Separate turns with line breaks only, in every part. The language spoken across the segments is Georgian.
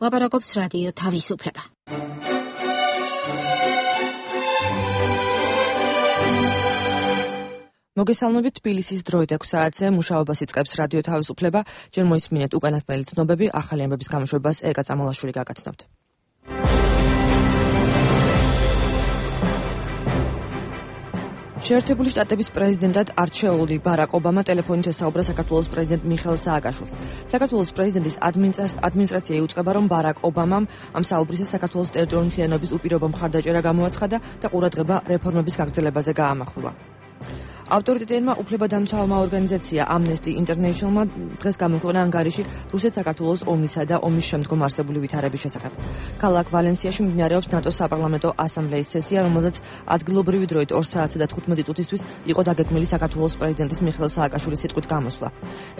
ლაპარაკობს რადიო თავისუფლება.
მოგესალმებით, თბილისის დროით 6 საათზე მუშაობას იწყებს რადიო თავისუფლება. ჯერ მოისმინეთ უკანასკნელი ცნობები, ახალი ამბების გამოშვებას ეკა წამალაშვილი გაგაცნობთ. შეერთებული შტატების პრეზიდენტად არჩეული ბარაკ ობამა ტელეფონით ესაუბრა საქართველოს პრეზიდენტ მიხეილ სააკაშვილს. საქართველოს პრეზიდენტის ადმინისტრაცია იუწყება, რომ ბარაკ ობამამ ამ საუბრისას საქართველოს ტერიტორიული მთლიანობის უპირობო მხარდაჭერა გამოაცხადა და ყურადღება რეფორმების გაგრძელებაზე გაამახვილა. ავტორიტეტიანმა უფლებადამცავმა ორგანიზაცია Amnesty International-მა დღეს გამოქვეყნა ანგარიში რუსეთ-საქართველოს ომისა და ომის შემდგომ არსებული ვითარების შესახებ. ქალაქ ვალენსიაში მიმდინარეობს ნატოს საპარლამენტო ასამბლეის სესია, რომელზეც ადგილობრივი დროით 2 საათსა და 15 წუთისთვის იყო დაგეგმილი საქართველოს პრეზიდენტის მიხეილ სააკაშვილის სიტყვით გამოსვლა.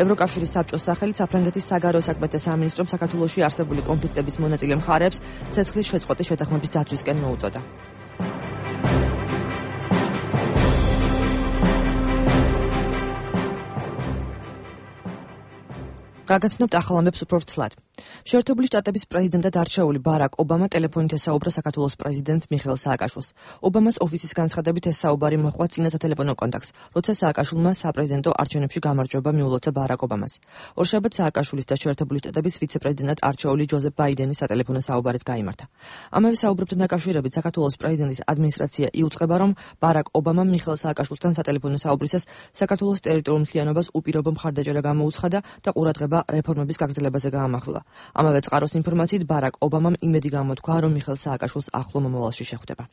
ევროკავშირის საბჭოს სახელით საფრანგეთის საგარეო საქმეთა სამინისტრომ საქართველოში არსებული კონფლიქტების მონაწილე მხარეებს ცეცხლის შეწყვეტის შეთანხმების დაცვისკენ მოუწოდა. გაგაცნობთ ახალ ამბებს უფრო ვრცლად. შეერთებული შტატების პრეზიდენტად არჩეული ბარაკ ობამა ტელეფონით ესაუბრა საქართველოს პრეზიდენტს მიხეილ სააკაშვილს. ობამას ოფისის განცხადებით ეს საუბარი მოჰყვა წინა სატელეფონო კონტაქტს, როცა სააკაშვილმა საპრეზიდენტო არჩევნებში გამარჯვება მიულოცა ბარაკ ობამას. ორშაბათს სააკაშვილის და შეერთებული შტატების ვიცე-პრეზიდენტად არჩეული ჯოზეფ ბაიდენის სატელეფონო საუბარიც გაიმართა. ამავე საუბრებთან დაკავშირებით საქართველოს პრეზიდენტის ადმინისტრაცია იუწყება, რომ ბარაკ ობამამ მიხეილ სააკაშვილთან სატელეფონო საუბრისას საქართველოს ტერიტორიულ მთლიანობას უპირობო მხარდაჭერა გამოუცხადა და ყურადღება რეფორმების გაგრძელებაზე გაამახვილა. ამავე წყაროს ინფორმაციით ბარაკ ობამამ იმედი გამოთქვა, რომ მიხეილ სააკაშვილს ახლო მომავალში შეხვდება.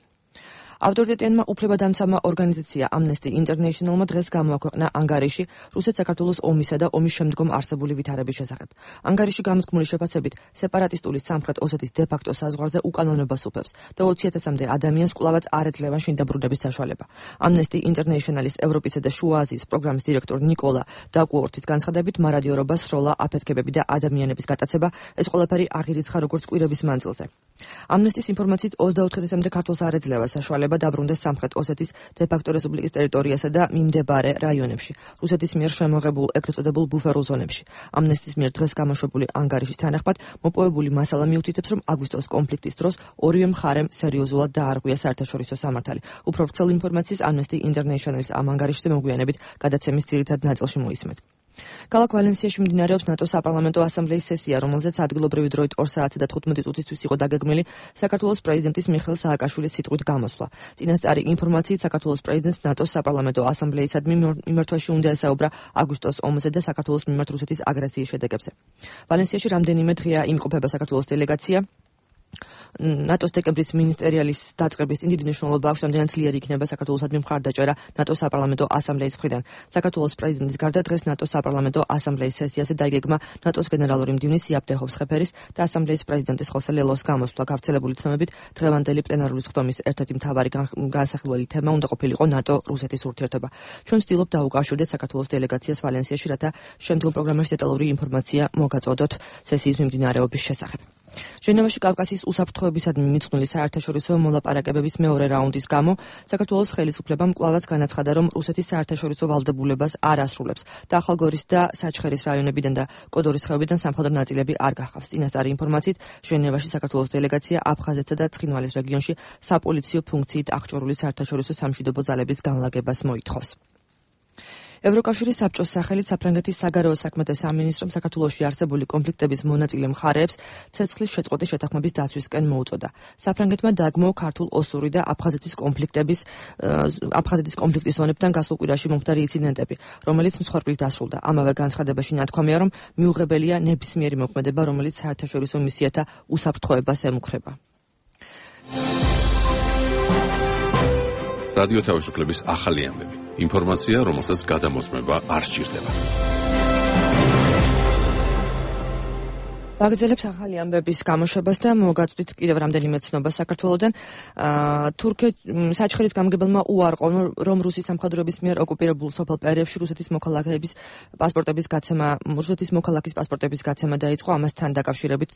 ავტორიტეტიანმა უფლებადამცავმა ორგანიზაცია Amnesty International-მა დღეს გამოაქვეყნა ანგარიში რუსეთ-საქართველოს ომისა და ომის შემდგომ არსებული ვითარების შესახებ. ანგარიში გამოთქმული შეფასებით სეპარატისტული სამხრეთ ოსეთის დე-ფაქტო საზღვარზე უკანონობას უფევს და 20,000-მდე ადამიანს კვლავაც არ ეძლევა შინდაბრუნების საშუალება. Amnesty International-ის ევროპისა და შუა აზიის პროგრამის დირექტორ ნიკოლა დაკუორტის განცხადებით, მარადიორობა, სროლა, აფეთქებები და ადამიანების გატაცება ეს ყველაფერი აღირიცხა როგორც კვირების მანძილზე. Amnesty-ის ინფორმაციით 24,000-მდე ქართველს არ ეძლევა საშუალება დაბრუნდეს სამხრეთ ოსეთის დე-ფაქტო რესპუბლიკის ტერიტორიასა და მიმდებარე რაიონებში, რუსეთის მიერ შემოღებულ ეგრეთ წოდებულ ბუფერულ ზონებში. Amnesty-ის მიერ დღეს გამოშვებული ანგარიშის თანახმად, მოპოვებული მასალა მიუთითებს, რომ აგვისტოს კონფლიქტის დროს ორივე მხარემ სერიოზულად დაარღვია საერთაშორისო სამართალი. უფრო ვრცელ ინფორმაციას Amnesty International-ის ამ ანგარიშზე მოგვიანებით გადაცემის ძირითად ნაწილში მოისმენთ. ქალაქ ვალენსიაში მიმდინარეობს ნატოს საპარლამენტო ასამბლეის სესია, რომელზეც ადგილობრივი დროით 2 საათსა და 15 წუთისთვის იყო დაგეგმილი საქართველოს პრეზიდენტის მიხეილ სააკაშვილის სიტყვით გამოსვლა. წინასწარი ინფორმაციით საქართველოს პრეზიდენტს ნატოს საპარლამენტო ასამბლეისადმი მიმართვაში უნდა ესაუბრა აგვისტოს ომზე და საქართველოს მიმართ რუსეთის აგრესიის შედეგებზე. ვალენსიაში რამდენიმე დღეა იმყოფება საქართველოს დელეგაცია. ნატოს დეკემბრის მინისტერიალის დაწყების წინ დიდი მნიშვნელობა აქვს, რამდენად ძლიერი იქნება საქართველოსადმი მხარდაჭერა ნატოს საპარლამენტო ასამბლეის მხრიდან. საქართველოს პრეზიდენტის გარდა დღეს ნატოს საპარლამენტო ასამბლეის სესიაზე დაიგეგმა ნატოს გენერალური მდივნის იაპ დეჰოვსხეფერის და ასამბლეის პრეზიდენტის ხოსე ლელოს გამოსვლა. გავრცელებული ცნობებით, დღევანდელი პლენარული სხდომის ერთ-ერთი მთავარი განსახილველი თემა უნდა ყოფილიყო ნატო-რუსეთის ურთიერთობა. ჩვენ ვცდილობთ დაუკავშირდეთ საქართველოს დელეგაციას ვალენსიაში, რათა შემდგომ პროგრამაში დეტალური ინფორმაცია მოგაწოდოთ სესიის მიმდინარეობის შესახებ. ჟენევაში კავკასიის უსაფრთხოებისადმი მიძღვნილი საერთაშორისო მოლაპარაკებების მეორე რაუნდის გამო საქართველოს ხელისუფლებამ კვლავაც განაცხადა, რომ რუსეთის საერთაშორისო ვალდებულებას არ ასრულებს და ახალგორის და საჩხერის რაიონებიდან და კოდორის ხეობიდან სამხედრო ნაწილები არ გახავს. წინასწარი ინფორმაციით, ჟენევაში საქართველოს დელეგაცია აფხაზეთსა და ცხინვალის რეგიონში საპოლიციო ფუნქციით აღჭურვილი საერთაშორისო სამშვიდობო ძალების განლაგებას მოითხოვს. ევროკავშირის საბჭოს სახელით საფრანგეთის საგარეო საქმეთა სამინისტრომ საქართველოში არსებული კონფლიქტების მონაწილე მხარეებს ცეცხლის შეწყვეტის შეთანხმების დაცვისკენ მოუწოდა. საფრანგეთმა დაგმო ქართულ ოსური და აფხაზეთის კონფლიქტის ზონებთან გასულ კვირაში მომხდარი ინციდენტები, რომელიც მსხვერპლით დასრულდა. ამავე განცხადებაში ნათქვამია, რომ მიუღებელია ნებისმიერი მოქმედება, რომელიც საერთაშორისო მისიათა უსაფრთხოებას ემუქრება.
რადიო თავისუფლების ახალი ამბები. ინფორმაცია, რომელსაც გადამოწმება არ სჭირდება.
ვაგრძელებს ახალი ამბების გამოშვებას და მოგაწვდით კიდევ რამდენიმე ცნობა საქართველოდან. საჩხერის გამგებელმა უარყო, რომ რუსის სამხედროების მიერ ოკუპირებულ სოფელ პერიებში რუსეთის მოქალაქის პასპორტების გაცემა დაიწყო. ამასთან დაკავშირებით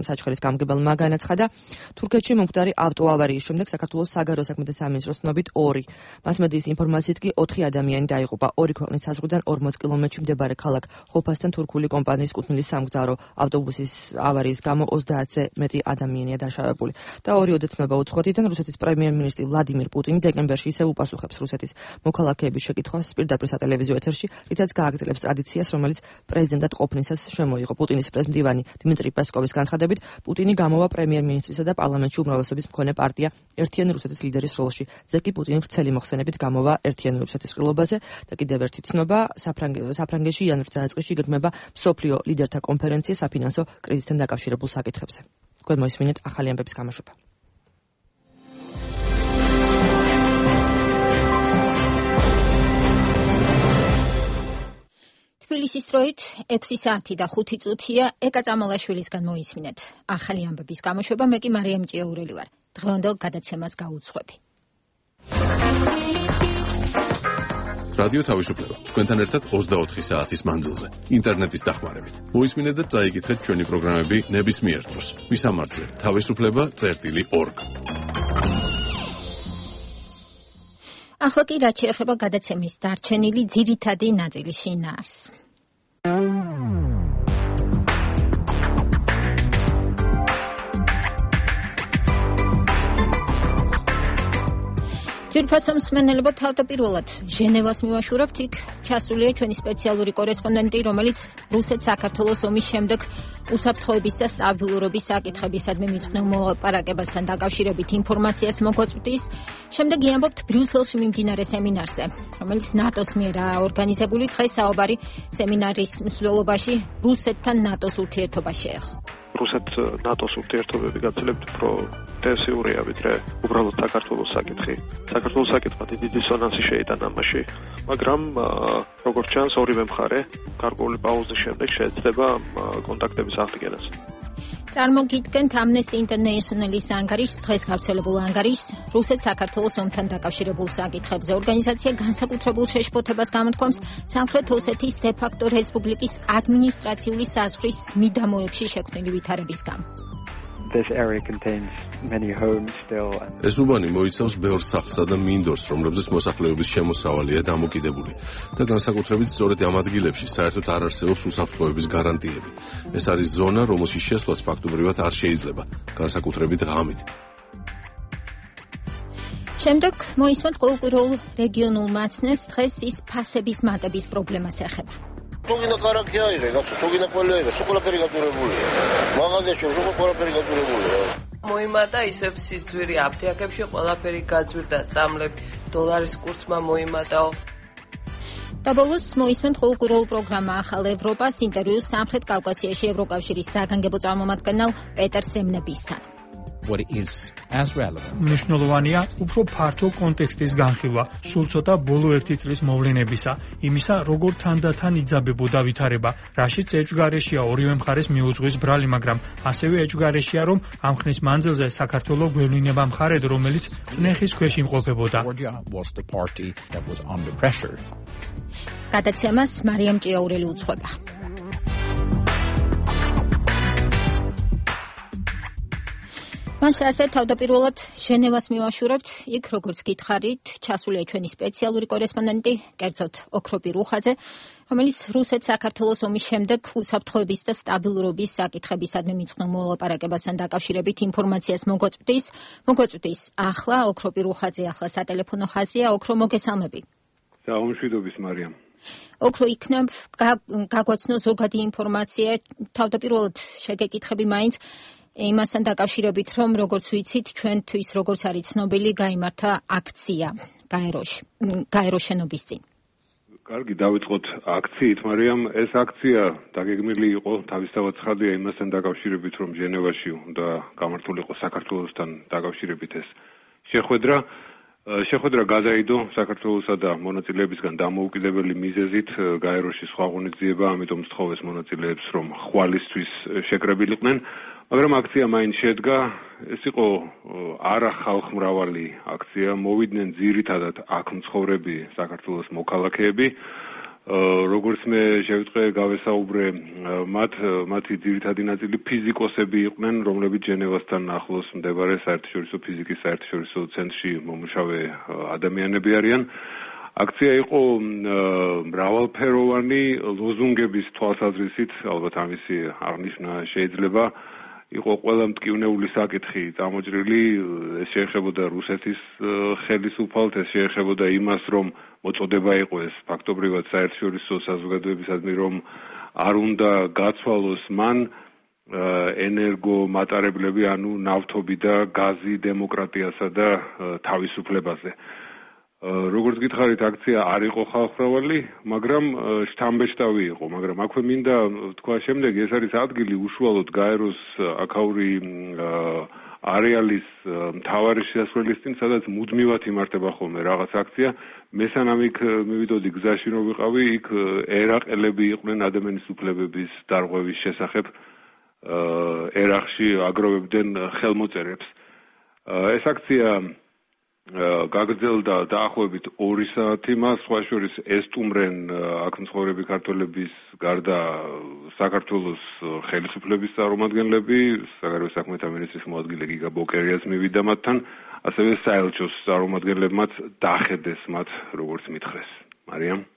საჩხერის გამგებელმა განაცხადა, თურქეთში მომხდარი ავტოავარიის შემდეგ საქართველოს საგარეო საქმეთა სამინისტროს ცნობით 2, მასმედიის ინფორმაციით კი 4 ადამიანი დაიღუპა. 2 ქვეყნის საზღვრიდან 40 კილომეტრში მდებარე ქალაქ ხოფასთან თურქული კომპანიის კუთვნილი სამგზავრო ავტობუსი ავტობუსის ავარიის გამო 30-ზე მეტი ადამიანია დაშავებული. და ორი ოდეცნობა უცხოეთიდან რუსეთის პრემიერ-მინისტრი ვლადიმირ პუტინი დეკემბერში ისევ უპასუხებს რუსეთის მოქალაქეების შეკითხვას პირდაპირ სატელევიზიო ეთერში, რითაც გააგრძელებს ტრადიციას, რომელიც პრეზიდენტად ყოფნისას შემოიღო. პუტინის პრეზმდივანი დიმიტრი პესკოვის განცხადებით, პუტინი გამოვა პრემიერ-მინისტრისა და პარლამენტში უმრავლესობის მქონე პარტია ერთიანი რუსეთის ლიდერის როლში. ზეკი პუტინი ვრცელი მოხსენებით გამოვა ერთიანი რუსეთის ყრილობაზე და კიდევ ერთი ცნობა, საფრანგეთში იანვრის დასაწყისში გეგმება მსოფლიო ლიდერთა კონფერენცია საფინანსო კრიზისთან დაკავშირებულ საკითხებზე. თქვენ მოისმინეთ ახალი ამბების გამოშვება.
თბილისის დროით 6 საათი და 5 წუთია. ეკა წამალაშვილისგან მოისმინეთ ახალი ამბების გამოშვება. მე კი მარიამ ჭიაურელი ვარ. დღევანდელ გადაცემას გაუძღვები.
რადიო თავისუფლება თქვენთან ერთად 24 საათის მანძილზე ინტერნეტის დახმარებით. მოისმინეთ და წაიკითხეთ ჩვენი პროგრამები ნებისმიერ დროს. ვისამართზე თავისუფლება.org.
ახლა კი რაც შეეხება გადაცემის დარჩენილი ძირითადი ნაწილის შინაარსს. ჯერფასო მსმენელებო, თავდაპირველად ჟენევას მივაშურებთ, იქ ჩასულია ჩვენი სპეციალური კორესპონდენტი, რომელიც რუსეთ-საქართველოს ომის შემდეგ უსაფრთხოების და სტაბილურობის საკითხებისადმი მიძღვნილ მოლაპარაკებასთან დაკავშირებით ინფორმაციას მოგვაწვდის. შემდეგ იამბობთ ბრიუსელში მიმდინარე სემინარზე, რომელიც ნატოს მიერაა ორგანიზებული. დღეს საუბარი სემინარის მსვლელობაში რუსეთთან ნატოს ურთიერთობა შეეხო.
რუსეთ-ნატოს ურთიერთობები გაცილებით უფრო ინტენსიურია, ვიდრე უბრალოდ საქართველოს საკითხი. საქართველოს საკითხმა დიდი დისონანსი შეიტანა ამაში, მაგრამ როგორც ჩანს, ორივე მხარე გარკვეული პაუზის შემდეგ შეეცდება კონტაქტების აღდგენას.
წარმოგიდგენთ Amnesty International-ის ანგარიშს, დღეს გავრცელებულ ანგარიშს რუსეთ-საქართველოს ომთან დაკავშირებულ საკითხებზე. ორგანიზაცია განსაკუთრებულ შეშფოთებას გამოთქვამს სამხრეთ ოსეთის დე-ფაქტო რესპუბლიკის ადმინისტრაციული საზღვრის მიდამოებში შექმნილი ვითარების გამო.
This area contains many homes still and
ეს უბანი მოიცავს ბევრ სახლსა და მინდორს, რომლებზეც მოსახლეობის შემოსავალია დამოკიდებული და განსაკუთრებით სწორედ ამ ადგილებში საერთოდ არ არსებობს უსაფრთხოების გარანტიები. ეს არის ზონა, რომელშიც შესვლაც ფაქტობრივად არ შეიძლება, განსაკუთრებით ღამით.
შემდეგ მოისმენთ ყოველკვირეულ რეგიონულ მაცნეს, დღეს ის ფასების მატების პრობლემას ეხება.
თუგინა კარაქი აიღე, გასო, თუგინა ყველი აიღე, სულ ყველაფერი გატურებულია. მაღაზიაში სულ ყველაფერი გატურებულია.
მოიმატა ისევ სიძვირი აფთიაქებში ყველაფერი გაძვირდა, წამლები, დოლარის კურსმა მოიმატაო.
და ბოლოს მოისმენთ ყოველკვირეულ პროგრამა ახალ ევროპას, ინტერვიუს სამხრეთ კავკასიაში ევროკავშირის საგანგებო წარმომადგენელ პეტერ სემნებისთან.
What is as relevant.
მნიშვნელოვანია უფრო ფართო კონტექსტის განხილვა, სულ ცოტა ბოლო 1 წლის მოვლენებისა, იმისა, როგორ თანდათან იძაბებოდა ვითარება, რაშიც ეჭვგარეშია ორივე მხარეს მიუძღვის ბრალი, მაგრამ ასევე ეჭვგარეშია, რომ ამ ხნის მანძილზე საქართველოს გვევლინება მხარედ, რომელიც წნეხის ქვეშ იმყოფებოდა.
გადაცემას მარიამ ჭიაურელი უძღვება. მაშ ასე თავდაპირველად ჟენევას მივაშურებთ, იქ როგორც გითხარით, ჩასულია ჩვენი სპეციალური კორესპონდენტი, კერძოდ ოქროპი რუხაძე, რომელიც რუსეთ-საქართველოს ომის შემდეგ უსაფრთხოების და სტაბილურობის საკითხებისადმი მიძღვნილ მოლაპარაკებასთან დაკავშირებით ინფორმაციას მოგვაწვდის. ახლა ოქროპი რუხაძე ახლა სატელეფონო ხაზია. ოქრო, მოგესალმები.
საუმშვიდობის მარიამ.
ოქრო, იქნებ გაგვაცნო ზოგადი ინფორმაცია, თავდაპირველად შეგეკითხები მაინც იმასთან დაკავშირებით, რომ როგორც ვიცით, ჩვენთვის როგორც არის ცნობილი, გაიმართა აქცია გაეროს შენობის წინ.
კარგი, დავიწყოთ აქციით, მარიამ. ეს აქცია დაგეგმილი იყო თავისთავად ცხადია იმასთან დაკავშირებით, რომ ჟენევაში უნდა გამართულიყო საქართველოსთან დაკავშირებით ეს შეხვედრა გადაიდო საქართველოსა და მონაწილეებისგან დამოუკიდებელი მიზეზით გაეროში სხვა ღონისძიება, ამიტომ სთხოვეს მონაწილეებს, რომ ხვალისთვის შეკრებილიყვნენ. მაგრამ აქცია მაინც შედგა, ეს იყო არა ხალხმრავალი აქცია, მოვიდნენ ძირითადად აქ მცხოვრები საქართველოს მოქალაქეები. როგორც მე შევიტყვე, გავესაუბრე, მათი ძირითადი ნაწილი ფიზიკოსები იყვნენ, რომლებიც ჟენევასთან ახლოს მდებარე საერთაშორისო ფიზიკის საერთაშორისო ცენტრში მომუშავე ადამიანები არიან. აქცია იყო მრავალფეროვანი ლოზუნგების თვალსაზრისით, ალბათ ამისი აღნიშვნა შეიძლება. იყო ყველა მტკივნეული საკითხი წამოჭრილი, ეს შეეხებოდა რუსეთის ხელისუფალთ, ეს შეეხებოდა იმას, რომ მოწოდება იყო ეს ფაქტობრივად საერთაშორისო საზოგადოებისადმი, რომ არ უნდა გაცვალოს მან ენერგო მატარებლები, ანუ ნავთობი და გაზი დემოკრატიასა და თავისუფლებაზე. როგორც გითხარით, აქცია არ იყო ხალხმრავალი, მაგრამ შთამბეჭდავი იყო, მაგრამ აქვე მინდა თქვა შემდეგ, ეს არის ადგილი უშუალოდ გაეროს აქაური არეალის მთავარი შესასვლელის წინ, სადაც მუდმივად იმართება ხოლმე რაღაც აქცია. მე სანამ იქ მივიდოდი გზაში რომ ვიყავი, იქ ერაყელები იყვნენ ადამიანის უფლებების დარღვევის შესახებ ერაყში აგროვებდნენ ხელმოწერებს. ეს აქცია გაგრძელდა დაახლოებით 2 საათი, მას სხვა შორის ესტუმრენ აქ მცხოვრები ქართველების გარდა საქართველოს ხელისუფლების წარმომადგენლები, საგარეო საქმეთა მინისტრის მოადგილე გიგა ბოკერიას მივიდა მათთან, ასევე საელჩოს წარმომადგენლებმაც დახედეს მათ, როგორც მითხრეს. მარიამ?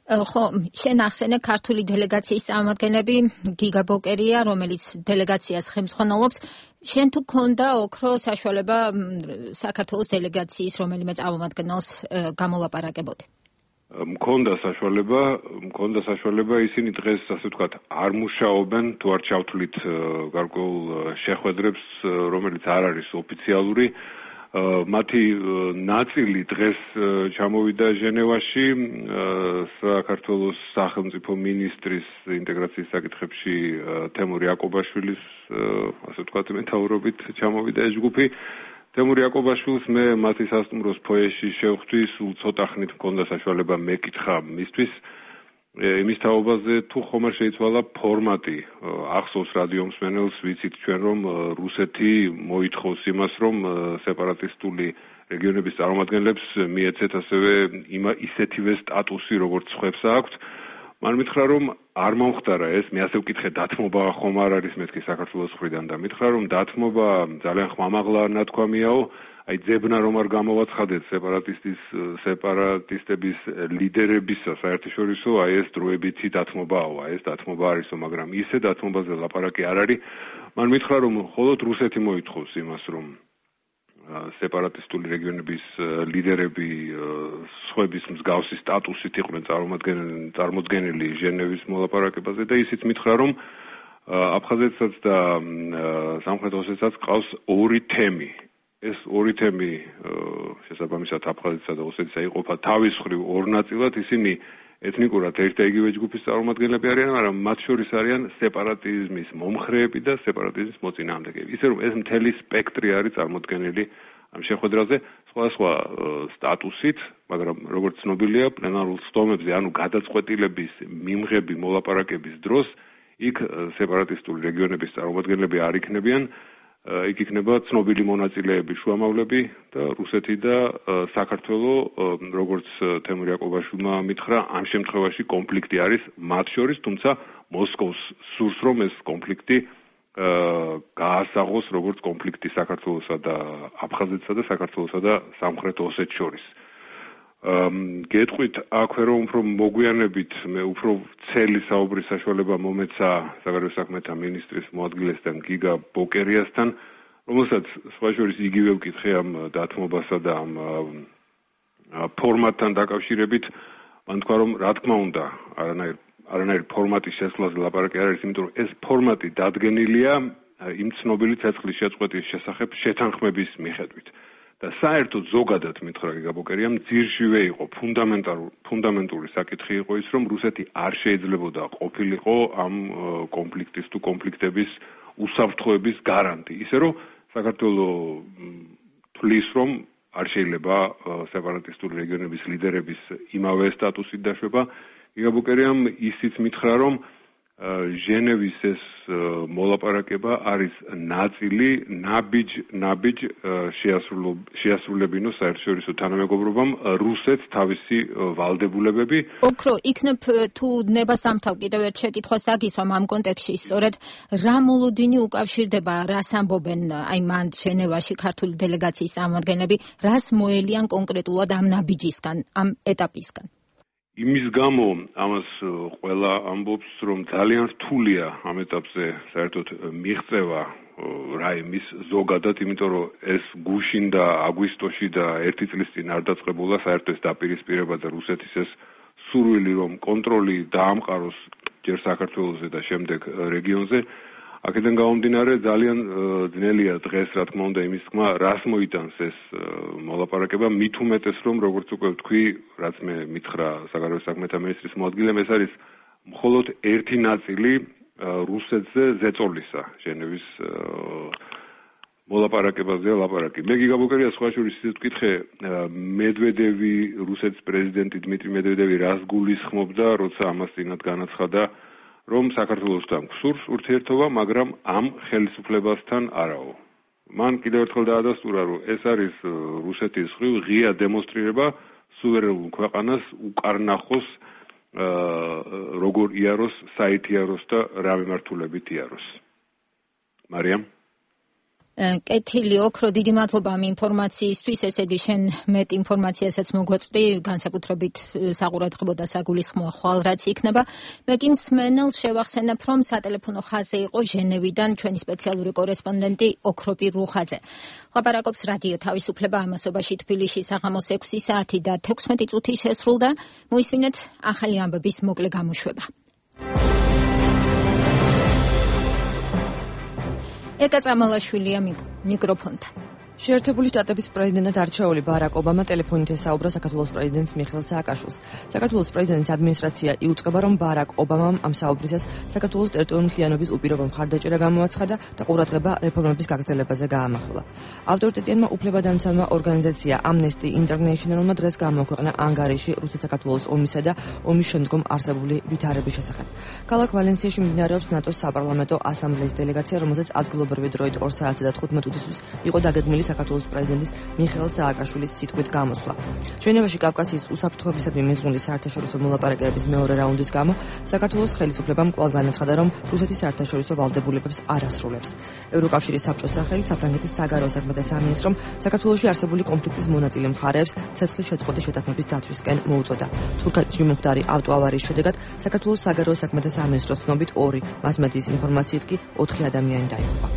ხო, შენ ახსენე ქართული დელეგაციის წარმომადგენლები, გიგა ბოკერია, რომელიც დელეგაციას ხელმძღვანელობს. შენ თუ გქონდა ოქრო საშუალება საქართველოს დელეგაციის რომელიმე წარმომადგენელს გამოლაპარაკებოდი?
მქონდა საშუალება, ისინი დღეს, ასე ვთქვათ, არ მუშაობენ, თუ არ ჩავთვლით გარკვეულ შეხვედრებს, რომელიც არ არის ოფიციალური. მათი ნაწილი დღეს ჩამოვიდა ჟენევაში, საქართველოს სახელმწიფო მინისტრის ინტეგრაციის საკითხებში თემურ იაკობაშვილის, ასე ვთქვათ, მეთაურობით ჩამოვიდა ეს ჯგუფი. თემურ იაკობაშვილს მე მათი სასტუმროს ფოიეში შევხვდი, სულ ცოტა ხნით მქონდა საშუალება მეკითხა მისთვის. იმის თაობაზე თუ ხომ არ შეიცვალა ფორმატი. ახსოვს რადიო მსმენელს, ვიცით ჩვენ, რომ რუსეთი მოითხოვს იმას, რომ სეპარატისტული რეგიონების წარმომადგენლებს მიეცეთ ასევე ისეთივე სტატუსი, როგორც ხვებს აქვთ. მან მითხრა, რომ არ მომხდარა ეს, მე ასე ვკითხე, დათმობა ხომ არ არის მეთქი საქართველოს მხრიდან და მითხრა, რომ დათმობა ძალიან ხმამაღლა ნათქვამიაო, აი ძებნა რომ არ გამოვაცხადეთ სეპარატისტების ლიდერებისა საერთაშორისო, აი ეს დროებითი დათმობაო, აი ეს დათმობა არისო, მაგრამ ისე დათმობაზე ლაპარაკი არ არის. მან მითხრა, რომ მხოლოდ რუსეთი მოითხოვს იმას, რომ სეპარატისტული რეგიონების ლიდერები სხვების მსგავსი სტატუსით იყვნენ წარმოდგენილი ჟენევის მოლაპარაკებაზე და ისიც მითხრა, რომ აფხაზეთსაც და სამხრეთ ოსეთსაც ყავს 2 თემი. ეს 2 თემი შესაბამისად აფხაზეთსა და ოსეთისა იყოფა თავის მხრივ 2 ნაწილად, ისინი ეთნიკურად ერთ და იგივე ჯგუფის წარმომადგენლები არიან, მაგრამ მათ შორის არიან სეპარატიზმის მომხრეები და სეპარატიზმის მოწინააღმდეგეები. ისე რომ ეს მთელი სპექტრი არის წარმოდგენილი ამ შეხვედრაზე სხვადასხვა სტატუსით, მაგრამ როგორც ცნობილია, პლენარულ სტომებზე, ანუ გადაწყვეტილების მიმღები მოლაპარაკების დროს, იქ სეპარატისტული რეგიონების წარმომადგენლები არ იქნებიან. იქ იქნება ცნობილი მონაწილეები, შუამავლები და რუსეთი და საქართველო, როგორც თემურ იაკობაშვილმა მითხრა, ამ შემთხვევაში კონფლიქტი არის მათ შორის, თუმცა მოსკოვს სურს, რომ ეს კონფლიქტი გაასაღოს როგორც კონფლიქტი საქართველოსა და აფხაზეთსა და საქართველოსა და სამხრეთ ოსეთს შორის. გეტყვით აქვე რომ უფრო მოგვიანებით მე უფრო ცელი საუბრის საშუალება მომეცა საგარეო საქმეთა მინისტრის მოადგილესთან გიგა ბოკერიასთან, რომელსაც სხვა შორის იგივე ვკითხე ამ დათმობასა და ამ ფორმატთან დაკავშირებით. მან თქვა, რომ რა თქმა უნდა არანაირ ფორმატის შესვლაზე ლაპარაკი არ არის, იმიტომ რომ ეს ფორმატი დადგენილია იმ ცნობილი ცეცხლის შეწყვეტის შესახებ შეთანხმების მიხედვით. და საერთოდ ზოგადად მითხრა გიგა ბოკერიამ, ძირშივე იყო ფუნდამენტური საკითხი იყო ის, რომ რუსეთი არ შეიძლებოდა ყოფილიყო ამ კონფლიქტის თუ კონფლიქტების უსაფრთხოების გარანტი. ისე რომ საქართველო თვლის, რომ არ შეიძლება სეპარატისტული რეგიონების ლიდერების იმავე სტატუსით დაშვება. გიგა ბოკერიამ ისიც მითხრა, რომ ჟენევის ეს მოლაპარაკება არის ნაწილი ნაბიჯ შეასრულებინო საერთაშორისო თანამეგობრობამ რუსეთს თავისი ვალდებულებები.
ოქრო, იქნებ თუ ნებასამთავ კიდევ ერთ შეკითხვას დაგისვამ ამ კონტექსტში, სწორედ რა მოლოდინი უკავშირდება, რას ამბობენ აი მან ჟენევაში ქართული დელეგაციის წარმომადგენლები, რას მოელიან კონკრეტულად ამ ნაბიჯისგან, ამ ეტაპისგან?
იმის გამო ამას ყველა ამბობს, რომ ძალიან რთულია ამ ეტაპზე საერთოდ მიღწევა რაიმის ზოგადად, იმიტომ რომ ეს გუშინ და აგვისტოში და ერთი წლის წინ არ დაწყებულა საერთოდ ეს დაპირისპირება და რუსეთის ეს სურვილი, რომ კონტროლი დაამყაროს ჯერ საქართველოზე და შემდეგ რეგიონზე. აქედან გამომდინარე ძალიან ძნელია დღეს, რა თქმა უნდა, იმის თქმა, რას მოიტანს ეს მოლაპარაკება, მით უმეტეს, რომ როგორც უკვე ვთქვი, რაც მე მითხრა საგარეო საქმეთა მინისტრის მოადგილემ, ეს არის მხოლოდ ერთი ნაწილი რუსეთზე ზეწოლისა, ჟენევის მოლაპარაკებაზე ლაპარაკი. მე გიგაბოკერია სხვა შორის ისე ვკითხე, მედვედევი, რუსეთის პრეზიდენტი დმიტრი მედვედევი რას გულისხმობდა, როცა ამას წინათ განაცხადა, რომ საქართველოსთან გსურს ურთიერთობა, მაგრამ ამ ხელისუფლებასთან არაო. მან კიდევ ერთხელ დაადასტურა, რომ ეს არის რუსეთის მხრივ ღია დემონსტრირება სუვერენულ ქვეყანას უკარნახოს როგორ იაროს, საით იაროს და რა მიმართულებით იაროს. მარიამ
კეთილი ოქრო, დიდი მადლობა ამ ინფორმაციისთვის. ესე იგი, შენ მეტ ინფორმაციასაც მოგვაწვდი, განსაკუთრებით საყურადღებო და საგულისხმოა ხვალ რაც იქნება. მე კი მსმენელს შევახსენებ, რომ სატელეფონო ხაზზე იყო ჟენევიდან ჩვენი სპეციალური კორესპონდენტი ოქროპირ რუხაძე. ლაპარაკობს რადიო თავისუფლება ამასობაში თბილისში საღამოს 6 საათი და 16 წუთი შესრულდა. მოისმინეთ ახალი ამბების მოკლე გამოშვება. ეკა წამალაშვილია მიკროფონთან.
შეერთებული შტატების პრეზიდენტად არჩეული ბარაკ ობამა ტელეფონით ესაუბრა საქართველოს პრეზიდენტს მიხეილ სააკაშვილს. საქართველოს პრეზიდენტის ადმინისტრაცია იუწყება, რომ ბარაკ ობამამ ამ საუბრისას საქართველოს ტერიტორიული მთლიანობის უპირობო მხარდაჭერა გამოაცხადა და ყურადღება რეფორმების გაგრძელებაზე გაამახვილა. ავტორიტეტიანმა უფლებადამცავმა ორგანიზაცია Amnesty International-მა დღეს გამოაქვეყნა ანგარიში რუსეთ-საქართველოს ომისა და ომის შემდგომ არსებული ვითარების შესახებ. ქალაქ ვალენსიაში მიმდინარეობს ნატოს საპარლამენტო ასამბლეის დელეგაცია, რომელზეც ადგილობრივი დროით 2 საათზე და 15 წუთისთვის იყო დაგეგმილი საქართველოს პრეზიდენტის მიხეილ სააკაშვილის სიტყვით გამოსვლა. ჟენევაში კავკასიის უსაფრთხოებისადმი მიძღვნილი საერთაშორისო მოლაპარაკებების მეორე რაუნდის გამო საქართველოს ხელისუფლებამ კვლავ განაცხადა, რომ რუსეთის საერთაშორისო ვალდებულებებს არ ასრულებს. ევროკავშირის საბჭოს სახელით საფრანგეთის საგარეო საქმეთა სამინისტრომ საქართველოში არსებული კონფლიქტის მონაწილე მხარეებს ცეცხლის შეწყვეტის შეთანხმების დაცვისკენ მოუწოდა. თურქეთში მომხდარი ავტოავარიის შედეგად საქართველოს საგარეო საქმეთა სამინისტროს ცნობით 2, მასმედიის ინფორმაციით კი 4 ადამიანი დაიღუპა.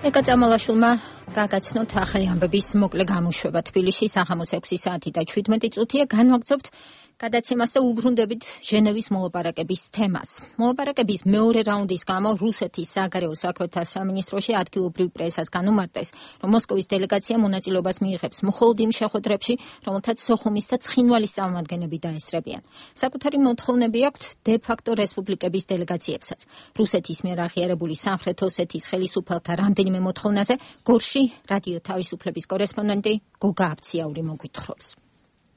ეკა წამალაშვილმა გაგაცნოთ ახალი ამბების მოკლე გამოშვება. თბილისში საღამოს 6 საათი და 17 წუთია. განვაგრძობთ გადაცემას და უბრუნდებით ჟენევის მოლაპარაკების თემას. მოლაპარაკების მეორე რაუნდის გამო რუსეთის საგარეო საქმეთა სამინისტროში ადგილობრივ პრესას განუმარტეს, რომ მოსკოვის დელეგაცია მონაწილეობას მიიღებს მხოლოდ იმ შეხვედრებში, რომელთაც სოხუმის და ცხინვალის წარმომადგენლები დაესწრებიან. საკუთარი მოთხოვნები აქვთ დე-ფაქტო რესპუბლიკების დელეგაციებსაც. რუსეთის მიერ აღიარებული სამხრეთ ოსეთის ხელისუფალთა რამდენიმე მოთხოვნაზე გორში რადიო თავისუფლების კორესპონდენტი გოგა აბციაური მოგვითხრობს.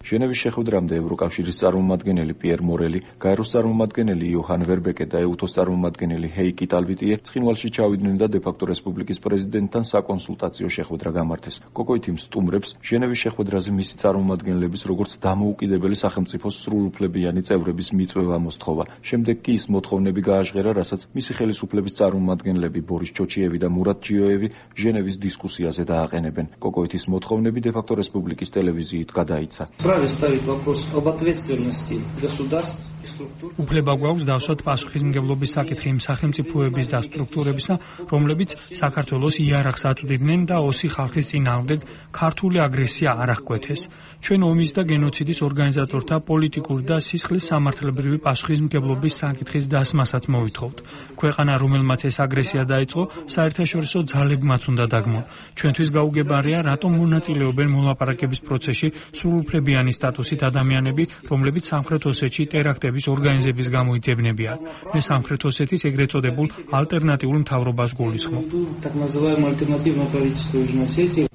ჟენევის შეხვედრამდე ევროკავშირის წარმომადგენელი პიერ მორელი, გაეროს წარმომადგენელი იოჰან ვერბეკე და ეუთოს წარმომადგენელი ჰეიკი ტალვიტიე ცხინვალში ჩავიდნენ და დე-ფაქტო რესპუბლიკის პრეზიდენტთან საკონსულტაციო შეხვედრა გამართეს. კოკოითიმ სტუმრებს ჟენევის შეხვედრაზე მისი წარმომადგენლების როგორც დამოუკიდებელი სახელმწიფოს სრულუფლებიანი წევრების მიწვევა მოსთხოვა. შემდეგ კი ის მოთხოვნები გააჟღერა, რასაც მისი ხელისუფლების წარმომადგენლები ბორის ჩოჩიევი და მურატ ჯიოევი ჟენევის დისკუსიაზე დააყენებენ. კოკოითის მოთხოვნები დე-ფაქტო რესპუბლიკის ტელევიზიით გადაიცა.
ставить вопрос об ответственности государств и структур.
უფლება გვაქვს დავსვათ პასუხისმგებლობის საკითხი იმ სახელმწიფოების და სტრუქტურებისა, რომლებიც საქართველოს იარაღს აწვდიდნენ და ოსი ხალხის წინააღმდეგ ქართული აგრესია არ აღკვეთეს. ჩვენ ომის და გენოციდის ორგანიზატორთა პოლიტიკური და სისხლის სამართლებრივი პასუხისმგებლობის საკითხის დასმასაც მოვითხოვთ. ქვეყანა, რომელმაც ეს აგრესია დაიწყო, საერთაშორისო ძალებმაც უნდა დაგმონ. ჩვენთვის გაუგებარია, რატომ მონაწილეობენ მოლაპარაკების პროცესში სრულუფლებიანი სტატუსით ადამიანები, რომლებიც სამხრეთ ოსეთში ტერაქტების შეხვედრების ორგანიზების გამო იძებნებიან. მე სამხრეთ ოსეთის ეგრეთ წოდებულ ალტერნატიულ მთავრობას გულისხმობ.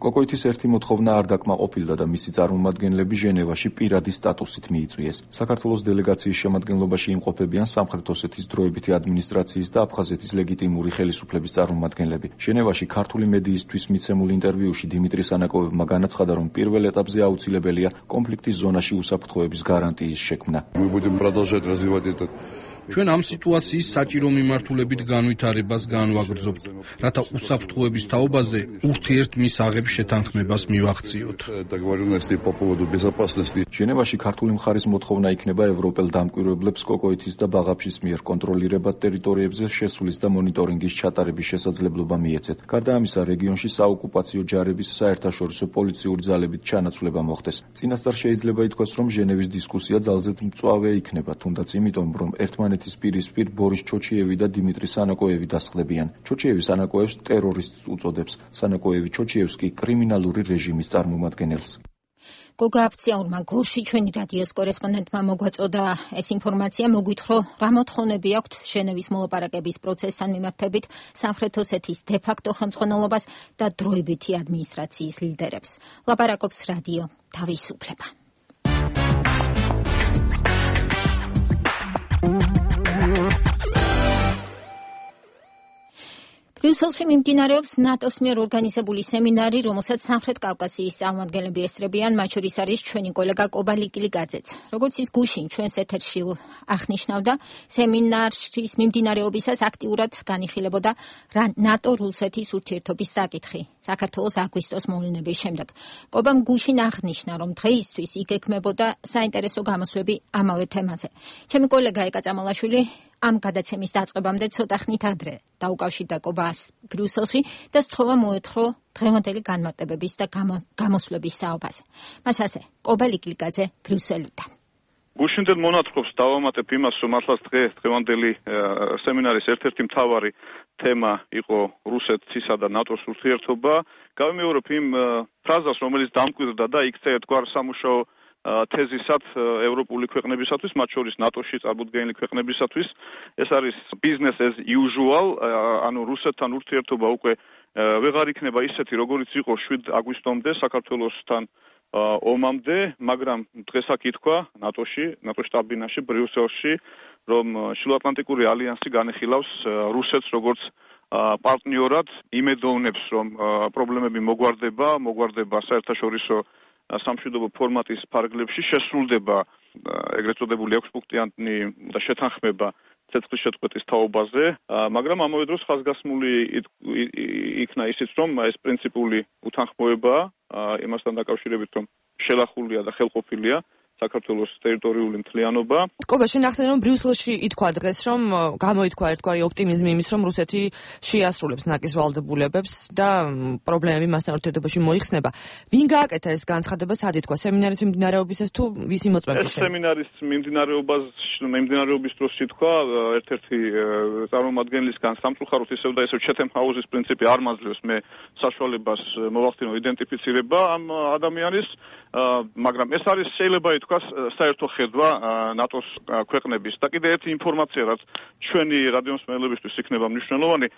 კოკოითის ერთი მოთხოვნა არ დაკმაყოფილდა და მისი წარმომადგენლები ჟენევაში პირადი სტატუსით მიიწვიეს. საქართველოს დელეგაციის შემადგენლობაში იმყოფებიან სამხრეთ ოსეთის დროებითი ადმინისტრაციის და აფხაზეთის ლეგიტიმური ხელისუფლების წარმომადგენლები. ჟენევაში ქართული მედიისთვის მიცემულ ინტერვიუში დიმიტრი სანაკოევმა განაცხადა, რომ პირველ ეტაპზე აუცილებელია კონფლიქტის ზონაში უსაფრთხოების გარანტიის შექმნა.
ჩვენ ამ სიტუაციის საჭირო მიმართულებით განვითარებას განვაგრძობთ, რათა უსაფრთხოების თაობაზე ურთიერთ მისაღებ შეთანხმებას მივახციოთ.
ჟენევაში ქართული მხარის მოთხოვნა იქნება ევროპელ დამკვირვებლებს კოკოითის და ბაღაფშის მიერ კონტროლირებად ტერიტორიებზე შესვლის და მონიტორინგის ჩატარების შესაძლებლობა მიეცეთ. გარდა ამისა, რეგიონში საოკუპაციო ჯარების საერთაშორისო პოლიციური ძალებით ჩანაცვლება მოხდეს. წინასწარ შეიძლება ითქვას, რომ ჟენევის დისკუსია ძალზედ მწვავე იქნება, თუნდაც იმიტომ, რომ ერთმანეთის პირისპირ ბორის ჩოჩიევი და დიმიტრი სანაკოევი დასხდებიან. ჩოჩიევი სანაკოევს ტერორისტს უწოდებს, სანაკოევი ჩოჩიევს კი კრიმინალური რეჟიმის წარმომადგენელს.
გოგა აფციაურმა გორში ჩვენი რადიოს კორესპონდენტმა მოგვაწოდა ეს ინფორმაცია, მოგვითხრა რა მოთხოვნები აქვთ ჟენევის მოლაპარაკების პროცესთან მიმართებით სამხრეთ ოსეთის დე-ფაქტო ხელმძღვანელობას და დროებითი ადმინისტრაციის ლიდერებს. ლაპარაკობს რადიო თავისუფლება. ბრიუსელში მიმდინარეობს ნატოს მიერ ორგანიზებული სემინარი, რომელსაც სამხრეთ კავკასიის წარმომადგენლები ესწრებიან, მათ შორის არის ჩვენი კოლეგა კობა ლიკილიგაძეც. როგორც ის გუშინ ჩვენს ეთერში აღნიშნავდა, სემინარის მიმდინარეობისას აქტიურად განიხილებოდა ნატო-რუსეთის ურთიერთობის საკითხი საქართველოს აგვისტოს მოვლენების შემდეგ. კობამ გუშინ აღნიშნა, რომ დღეისთვის იქ ექმებოდა საინტერესო გამოსვლები ამავე თემაზე. ჩემი კოლეგა ეკა წამალაშვილი ამ გადაცემის დაწყებამდე ცოტა ხნით ადრე დაუკავშირდა კობას ბრიუსელში და სთხოვა მოეთხოვა დღევანდელი განმარტებების და გამოსვლების საუბარზე. მას ასე კობა ლიკილიგაძე ბრიუსელიდან.
გუშინდელ მონათხრობს დავამატებ იმას, რომ მართლაც დღევანდელი სემინარის ერთ-ერთი მთავარი თემა იყო რუსეთისა და ნატოს ურთიერთობა. გავიმეორებ იმ ფრაზას, რომელიც დამკვირდა და იქცა ერთგვარ სამუშაო თეზისად ევროპული ქვეყნებისათვის, მათ შორის ნატოში წარმოდგენილი ქვეყნებისათვის. ეს არის business as usual, ანუ რუსეთთან ურთიერთობა უკვე ვეღარ იქნება ისეთი, როგორიც იყო 7 აგვისტომდე საქართველოსთან ომამდე, მაგრამ დღეს აქ ითქვა ნატოში, ნატოს შტაბ-ბინაში, ბრიუსელში, რომ შილოატლანტიკური ალიანსი განეხილავს რუსეთს როგორც პარტნიორად, იმედოვნებს, რომ პრობლემები მოგვარდება საერთაშორისო სამშვიდობო ფორმატის ფარგლებში, შესრულდება ეგრეთ წოდებული 6-პუნქტიანი და შეთანხმება ცეცხლის შეწყვეტის თაობაზე, მაგრამ ამავე დროს ხაზგასმული იქნა ისიც, რომ ეს პრინციპული უთანხმოებაა იმასთან დაკავშირებით, რომ შელახულია და ხელყოფილია საქართველოს ტერიტორიული მთლიანობა.
კობა, შენ ახსენე, რომ ბრიუსელში ითქვა დღეს, რომ გამოითქვა ერთგვარი ოპტიმიზმი იმის, რომ რუსეთი შეასრულებს ნაკის ვალდებულებებს და პრობლემები მასთან ურთიერთობაში მოიხსნება. ვინ გააკეთა ეს განცხადება, სად ითქვა? სემინარის მიმდინარეობისას თუ ვისი მოწმენდა?
ეს სემინარის მიმდინარეობის დროს ითქვა ერთ-ერთი წარმომადგენლისგან, სამწუხაროდ ისევ და ისევ ჩეთემ ჰაუსის პრინციპი არ მაძლევს მე საშუალებას მოვახდინო იდენტიფიცირება ამ ადამიანის, მაგრამ ეს არის შეიძლება ითქვა საერთო ხედვა ნატოს ქვეყნების. და კიდე ერთი ინფორმაცია, რაც ჩვენი რადიომსმენელებისთვის იქნება მნიშვნელოვანი,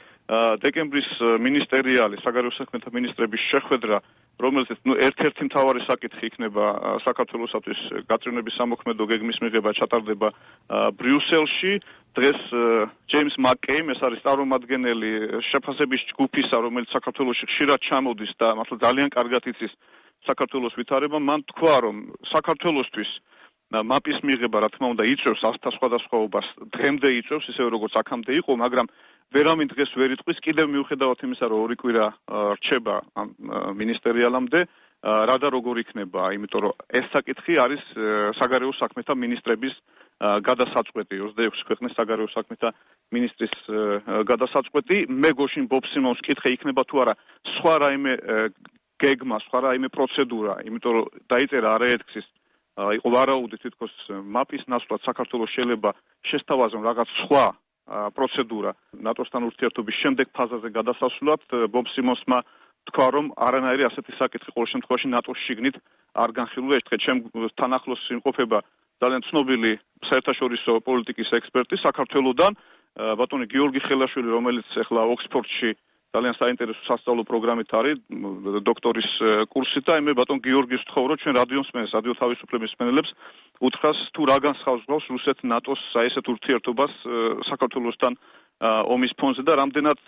დეკემბრის მინისტერიალი, საგარეო საქმეთა მინისტრების შეხვედრა, რომელზეც ერთ-ერთი მთავარი საკითხი იქნება საქართველოსათვის გაწევნების სამოქმედო გეგმის მიღება ჩატარდება ბრიუსელში. დღეს ჯეიმს მაკკეიმ, ეს არის წარმომადგენელი შეფასების ჯგუფისა, რომელიც საქართველოში ხშირად ჩამოდის და მართლა ძალიან კარგად იცის საქართველოს ვითარება, მან თქვა, რომ საქართველოსთვის მაპის მიღება, რა თქმა უნდა, იწევს ასთა სხვადასხვაობას, დღემდე იწევს, ისევე როგორც აქამდე იყო, მაგრამ ვერავინ დღეს ვერ იტყვის, კიდევ მიუხედავად იმისა, რომ 2 კვირა რჩება ამ მინისტერიალამდე, რა და როგორ იქნება, იმიტომ რომ ეს საკითხი არის საგარეო საქმეთა მინისტრების გადასაწყვეტი, 26 ქვეყნის საგარეო საქმეთა მინისტრის გადასაწყვეტი. მე გოშინ ბობსიმონს კითხე იქნება თუ არა სხვა რაიმე გეგმა, სხვა რაიმე პროცედურა, იმიტომ რომ დაიწერა არაერთგზის იყო ვარაუდი თითქოს მაპის ნაცვლად საქართველოს შეიძლება შესთავაზონ რაღაც სხვა პროცედურა ნატოსთან ურთიერთობის შემდეგ ფაზაზე გადასასვლელად. ბობსიმონსმა თქვა, რომ არანაირი ასეთი საკითხი ყოველ შემთხვევაში ნატოს შიგნით არ განხილულა. ეს დღე ჩემთან ახლოს იმყოფება ძალიან ცნობილი საერთაშორისო პოლიტიკის ექსპერტი საქართველოსდან, ბატონი გიორგი ხელაშვილი, რომელიც ახლა ოქსფორდში ძალიან საინტერესო სასწავლო პროგრამით არის, დოქტორის კურსით და მე ბატონ გიორგის ვთხოვ, რომ ჩვენ რადიოს მსმენელს, რადიო თავისუფლების მსმენელებს უთხრას თუ რა განსხვავებს რუსეთ-ნატოს ესეთ ურთიერთობას საქართველოსთან ომის ფონზე და რამდენად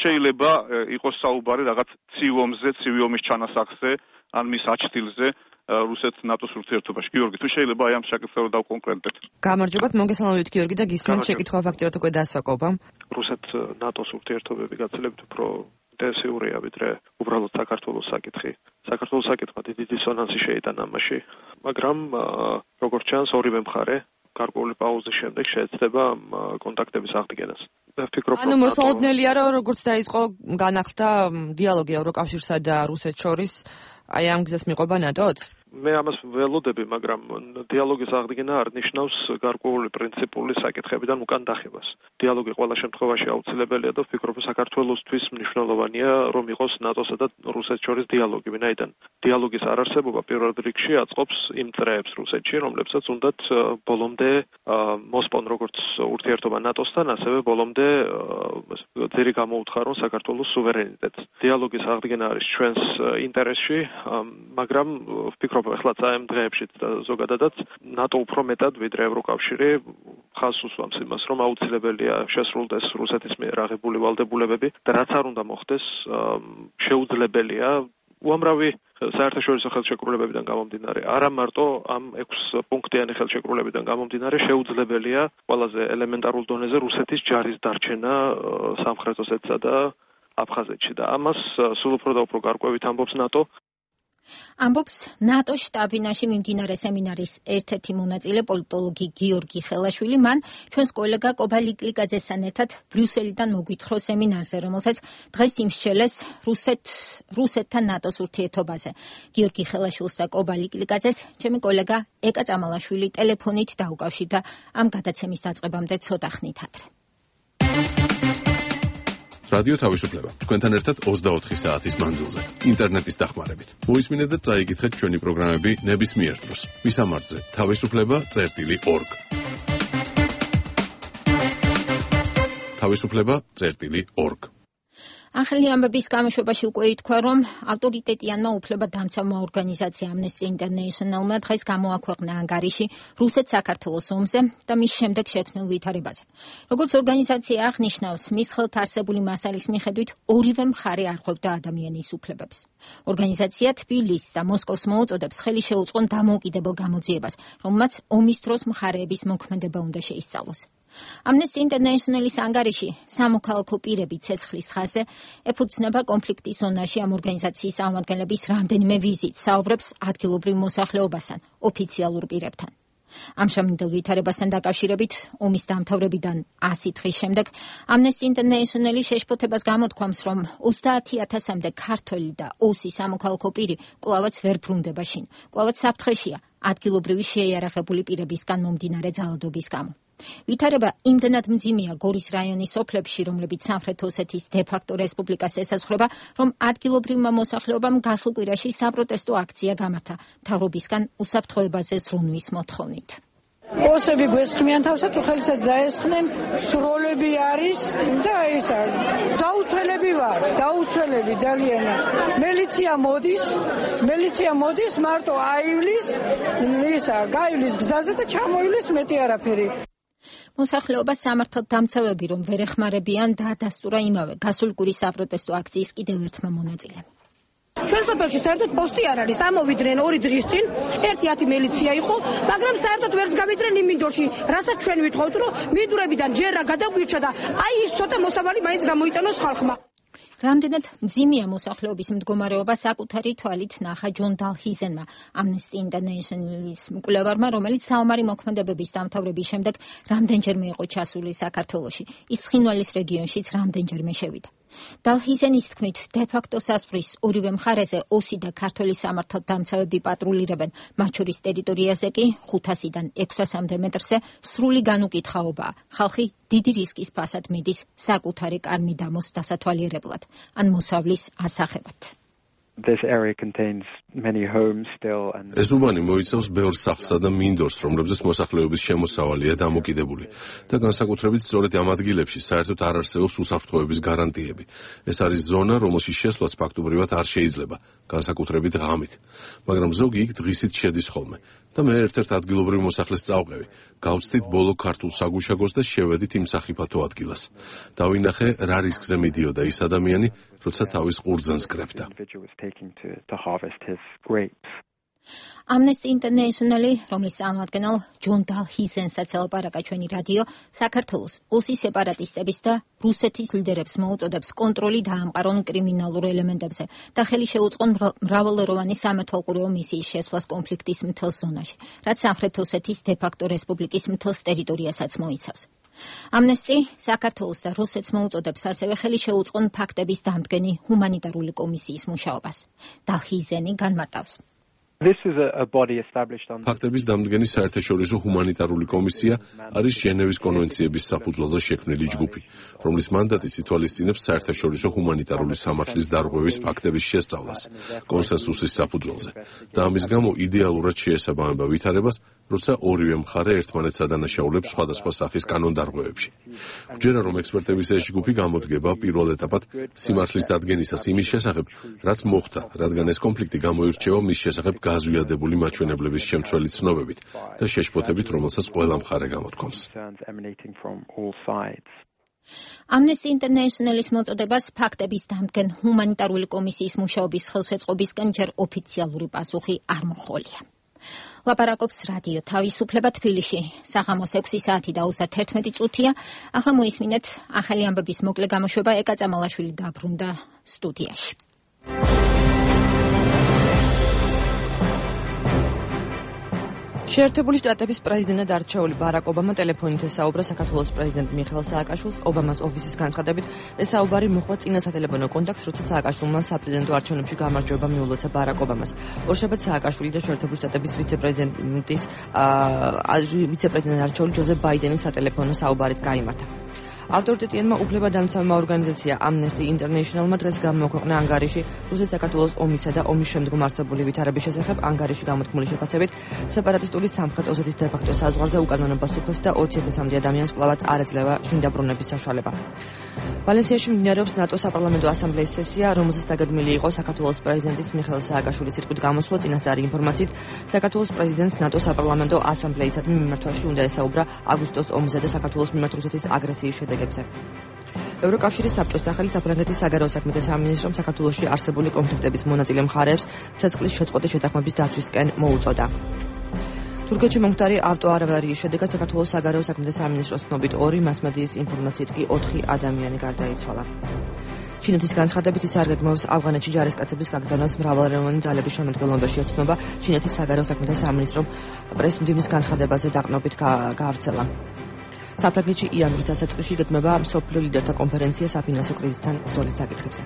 შეიძლება იყოს საუბარი რაღაც ცივი ომის ჩანასახზე ან მის აჩtildeზე რუსეთ-ნატოს ურთიერთობაში. გიორგი, თუ შეიძლება აი ამ საკითხზე დავკონკრეტდეთ.
გამარჯობათ, მოგესალმებით გიორგი და გისმენთ შეკითხვა ფაქტიურად უკვე დასვაკობა.
რუსეთ-ნატოს ურთიერთობები გაცილებით უფრო ინტენსიურია ვიდრე უბრალოდ საქართველოს საკითხი. საქართველოს საკითხმა დიდი დისონანსი შეიტანა ამაში, მაგრამ როგორც ჩანს ორივე მხარე გარკვეული პაუზის შემდეგ შეეცდება კონტაქტების აღდგენას.
ანუ მოსალოდნელია, რომ როგორც დაიწყო განახლდა დიალოგი ევროკავშირსა და რუსეთს შორის, აი ამ გზას მიყვება ნატოც?
მე ამას ველოდები, მაგრამ დიალოგის აღდგენა არ ნიშნავს გარკვეული პრინციპული საკითხებიდან უკან დახევას. დიალოგი ყველა შემთხვევაში აუცილებელია და ვფიქრობ, საქართველოსთვის მნიშვნელოვანია, რომ იყოს ნატოსა და რუსეთს შორის დიალოგი, ვინაიდან დიალოგის არარსებობა პირველ რიგში აწყობს იმ წრეებს რუსეთში, რომლებსაც უნდათ ბოლომდე მოსპონ როგორც ურთიერთობა ნატოსთან, ასევე ბოლომდე ძირი გამოუთხარონ საქართველოს სუვერენიტეტს. დიალოგის აღდგენა არის ჩვენს ინტერესში, მაგრამ ვფიქრობ, ახლა წაემ დღეებშიც და ზოგადადაც ნატო უფრო მეტად ვიდრე ევროკავშირი ხაზს უსვამს იმას, რომ აუცილებელია შესრულდეს რუსეთის მიერ აღებული ვალდებულებები და რაც არ უნდა მოხდეს, შეუძლებელია უამრავი საერთაშორისო ხელშეკრულებებიდან გამომდინარე, არა მარტო ამ 6 პუნქტიანი ხელშეკრულებებიდან გამომდინარე, შეუძლებელია ყველაზე ელემენტარულ დონეზე რუსეთის ჯარის დარჩენა სამხრეთ ოსეთსა და აფხაზეთში და ამას სულ უფრო და უფრო გარკვევით ამბობს ნატო.
ამბობს ნატოს შტაბ-ბინაში მიმდინარე სემინარის ერთ-ერთი მონაწილე პოლიტოლოგი გიორგი ხელაშვილი. მან ჩვენს კოლეგა კობა ლიკლიკაძესთან ერთად ბრიუსელიდან მოგვითხრა სემინარზე, რომელსაც დღეს იმსჩელეს რუსეთთან ნატოს ურთიერთობაზე. გიორგი ხელაშვილს და კობა ლიკლიკაძეს ჩემი კოლეგა ეკა წამალაშვილი ტელეფონით დაუკავშირდა ამ გადაცემის დაწყებამდე ცოტა ხნით ადრე.
რადიო თავისუფლება. თქვენთან ერთად 24 საათის მანძილზე, ინტერნეტის დახმარებით. მოისმინეთ და წაიკითხეთ ჩვენი პროგრამები ნებისმიერ დროს. მისამართზე თავისუფლება.org. თავისუფლება.org.
ახალი ამბების გამოშვებაში უკვე ითქვა, რომ ავტორიტეტიანმა უფლებადამცავმა ორგანიზაცია Amnesty International-მა დღეს გამოაქვეყნა ანგარიში რუსეთ-საქართველოს ომზე და მის შემდეგ შექმნილ ვითარებაზე. როგორც ორგანიზაცია აღნიშნავს, მის ხელთ არსებული მასალის მიხედვით ორივე მხარე არ ხვევდა ადამიანის უფლებებს. ორგანიზაცია თბილისს და მოსკოვს მოუწოდებს ხელი შეუწყონ დამოუკიდებელ გამოძიებას, რომელმაც ომის დროს მხარეების მოქმედება უნდა შეისწავლოს. Amnesty International-ის ანგარიში სამოქალაქო პირები ცეცხლის ხაზზე ეფუძნება კონფლიქტის ზონაში ამ ორგანიზაციის წარმომადგენლების რამდენიმე ვიზიტს, საუბრებს ადგილობრივ მოსახლეობასთან, ოფიციალურ პირებთან. ამ შრომითელ ვითარებასთან დაკავშირებით ომის დამთავრებიდან 100 დღის შემდეგ Amnesty International-ი შეშფოთებას გამოთქვამს, რომ 30,000-მდე ქართველი და 200 სამოქალაქო პირი კვლავაც ვერ ბრუნდება შინ. კვლავაც საფრთხეშია ადგილობრივი შეიარაღებული პირებისგან მომდინარე ძალადობის გამო. ვითარება იმდენად მძიმეა გორის რაიონის სოფლებში, რომლებიც სამხრეთ ოსეთის დე-ფაქტო რესპუბლიკას ესაზღვრება, რომ ადგილობრივმა მოსახლეობამ გასულ კვირაში საპროტესტო აქცია გამართა მთავრობისგან უსაფრთხოებაზე ზრუნვის მოთხოვნით.
ოსები გვესხმიან თავსაც, უხელისად დაესხნენ, სროლები არის და ისა დაუცველები ვარ, დაუცველები ძალიან. მელიცია მოდის, მარტო აივლის, გაივლის გზაზე და ჩამოივლის, მეტი არაფერი.
მოსახლეობა სამართალ დამცავები რომ ვერ ეხმარებიან და დასტურა იმავე გასული კვირის საპროტესტო აქციის კიდევ ერთმა მონაწილემ.
ჩვენ სოფელში საერთოდ პოსტი არ არის. ამოვიდნენ 2 დღის წინ, 1-10 მილიცია იყო, მაგრამ საერთოდ ვერც გავიდნენ იმ მინდორში, რასაც ჩვენ ვითხოვთ, რომ მინდვრებიდან ჯერა გადაგვირჩა და აი ის ცოტა მოსავალი მაინც გამოიტანოს ხალხმა.
რამდენად მძიმეა მოსახლეობის მდგომარეობა საკუთარი თვალით ნახა ჯონ დალჰიზენმა, Amnesty International-ის მკვლევარმა, რომელიც საომარი მოქმედებების დამთავრების შემდეგ რამდენჯერმე იყო ჩასული საქართველოში. ის ცხინვალის რეგიონშიც რამდენჯერმე შევიდა. დალჰიზენის თქმით, დე-ფაქტო საზღვრის ორივე მხარეზე 200 და ქართველი სამართალდამცავები პატრულირებენ, მათ შორის ტერიტორიაზე კი 500-დან 600-მდე მეტრზე სრული განუკითხაობაა. ხალხი დიდი რისკის ფასად მიდის საკუთარი კარმიდამოს დასათვალიერებლად ან მოსავლის ასახებად.
This area contains many homes still and
ეს უბანი მოიცავს ბევრ სახლსა და მინდორს, რომლებზეც მოსახლეობის შემოსავალია დამოკიდებული და განსაკუთრებით სწორედ ამ ადგილებში საერთოდ არ არსებობს უსაფრთხოების გარანტიები. ეს არის ზონა, რომელშიც შესვლაც ფაქტობრივად არ შეიძლება, განსაკუთრებით ღამით, მაგრამ ზოგი იქ დღისით შედის ხოლმე. და მე ერთ-ერთ ადგილობრივ მოსახლეს წავყევი. გავცდით ბოლო ქართულ საგუშაგოს და შევედით იმ სახიფათო ადგილას. დავინახე, რა რისკზე მიდიოდა ის ადამიანი, როცა თავის ყურძანს კრებდა.
Amnesty International-ი, რომლის წარმომადგენელ ჯონ დალჰიზენსაც ელაპარაკა ჩვენი რადიო, საქართველოს ოსი სეპარატისტების და რუსეთის ლიდერებს მოუწოდებს კონტროლი დაამყარონ კრიმინალურ ელემენტებზე და ხელი შეუწყონ მრავალეროვანი სამეთვალყურეო მისიის შესვლას კონფლიქტის მთელ ზონაში, რაც სამხრეთ ოსეთის დე-ფაქტო რესპუბლიკის მთელს ტერიტორიასაც მოიცავს. Amnesty საქართველოს და რუსეთს მოუწოდებს ასევე ხელი შეუწყონ ფაქტების დამდგენი ჰუმანიტარული კომისიის მუშაობას. დალჰიზენი განმარტავს.
ფაქტების დამდგენი საერთაშორისო ჰუმანიტარული კომისია არის ჟენევის კონვენციების საფუძველზე შექმნილი ჯგუფი, რომლის მანდატიც ითვალისწინებს საერთაშორისო ჰუმანიტარული სამართლის დარღვევის ფაქტების შესწავლას, კონსენსუსის საფუძველზე და ამის გამო იდეალურად შეესაბამება ვითარებას, როცა ორივე მხარე ერთმანეთს ადანაშაულებს სხვადასხვა სახის კანონდარღვევებში. ვჯერა, რომ ექსპერტების ეს ჯგუფი გამოდგება პირველ ეტაპად სიმართლის დადგენისას იმის შესახებ, რაც მოხდა, რადგან ეს კონფლიქტი გამოირჩევა მის შესახებ გაზვიადებული მაჩვენებლების შემცველი ცნობებით და შეშფოთებით, რომელსაც ყველა მხარე გამოთქვამს.
Amnesty International-ის მოწოდებას ფაქტების დამდგენ ჰუმანიტარული კომისიის მუშაობის ხელშეწყობისკენ ჯერ ოფიციალური პასუხი არ მოჰყოლია. ლაპარაკობს რადიო თავისუფლება თბილისში. საღამოს 6 საათი და 31 წუთია. ახლა მოისმინეთ ახალი ამბების მოკლე გამოშვება. ეკა წამალაშვილი დაბრუნდა სტუდიაში.
შეერთებული შტატების პრეზიდენტად არჩეული ბარაკ ობამა ტელეფონით ესაუბრა საქართველოს პრეზიდენტ მიხეილ სააკაშვილს. ობამას ოფისის განცხადებით, ეს საუბარი მოხდა წინა სატელეფონო კონტაქტს, როცა სააკაშვილმა საპრეზიდენტო არჩევნებში გამარჯვება მიულოცა ბარაკ ობამას. ორშაბათს სააკაშვილი და შეერთებული შტატების ვიცე-პრეზიდენტად არჩეული ჯოზეფ ბაიდენის სატელეფონო საუბარიც გაიმართა. ავტორიტეტიანმა უფლებადამცავმა ორგანიზაცია Amnesty International-მა დღეს გამოაქვეყნა ანგარიში რუსეთ-საქართველოს ომისა და ომის შემდგომ არსებული ვითარების შესახებ. ანგარიში გამოთქმული შეფასებით, სეპარატისტული სამხრეთ ოსეთის დე-ფაქტო საზღვარზე უკანონობას უფლებს და 20,000 ადამიანს კვლავაც არ ეძლევა შინ დაბრუნების საშუალება. ვალენსიაში მიმდინარეობს ნატო საპარლამენტო ასამბლეის სესია, რომელზეც დაგეგმილი იყო საქართველოს პრეზიდენტის მიხეილ სააკაშვილის სიტყვით გამოსვლა. წინასწარი ინფორმაციით, საქართველოს პრეზიდენტს ნატო საპარლამენტო ასამბლეისადმი მიმართვაში უნდა ესაუბრა აგვისტოს ომზე და საქართველოს მიმართ რუსეთის აგრესიის შედეგებზე. ევროკავშირის საბჭოს სახელით საფრანგეთის საგარეო საქმეთა სამინისტრომ საქართველოში არსებული კონფლიქტების მონაწილე მხარეებს ცეცხლის შეწყვეტის შეთანხმების დაცვისკენ მოუწოდა. თურქეთში მომხდარი ავტოავარიის შედეგად საქართველოს საგარეო საქმეთა სამინისტროს ცნობით 2, მასმედიის ინფორმაციით კი 4 ადამიანი გარდაიცვალა. ჩინეთის განცხადებით ის არ გეგმავს ავღანეთში ჯარისკაცების გაგზავნას მრავალეროვანი ძალების შემადგენლობაში ეცნობა. ჩინეთის საგარეო საქმეთა სამინისტრომ პრესმდივნის განცხადებაზე დაყრდნობით გაავრცელა. საფრანგეთში იანვრის დასაწყისში გეგმება მსოფლიო ლიდერთა კონფერენცია საფინანსო კრიზისთან ბრძოლის საკითხებზე.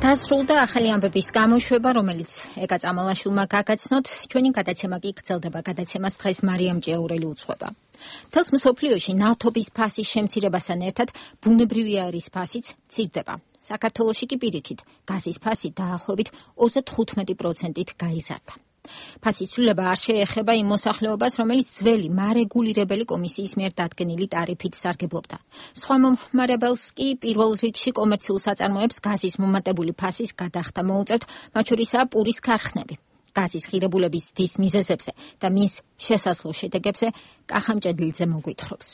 დასრულდა ახალი ამბების გამოშვება, რომელიც ეკა წამალაშვილმა გაგაცნოთ. ჩვენი გადაცემა კი გრძელდება. გადაცემას დღეს მარიამ ჭეურელი უძღვება. მთელს მსოფლიოში ნავთობის ფასის შემცირებასთან ერთად ბუნებრივი აირის ფასიც მცირდება. საქართველოში კი პირიქით გაზის ფასი დაახლოებით 35%-ით გაიზარდა. ფასის ცვლილება არ შეეხება იმ მოსახლეობას, რომელიც ძველი მარეგულირებელი კომისიის მიერ დადგენილი ტარიფით სარგებლობდა. სხვა მომხმარებელს კი პირველ რიგში კომერციულ საწარმოებს გაზის მომატებული ფასის გადახდა მოუწევთ, მათ შორისაა პურის ქარხნები. გაზის ღირებულების დის მიზეზებზე და მის შესაძლო შედეგებზე კახა მჭედლიძე მოგვითხრობს.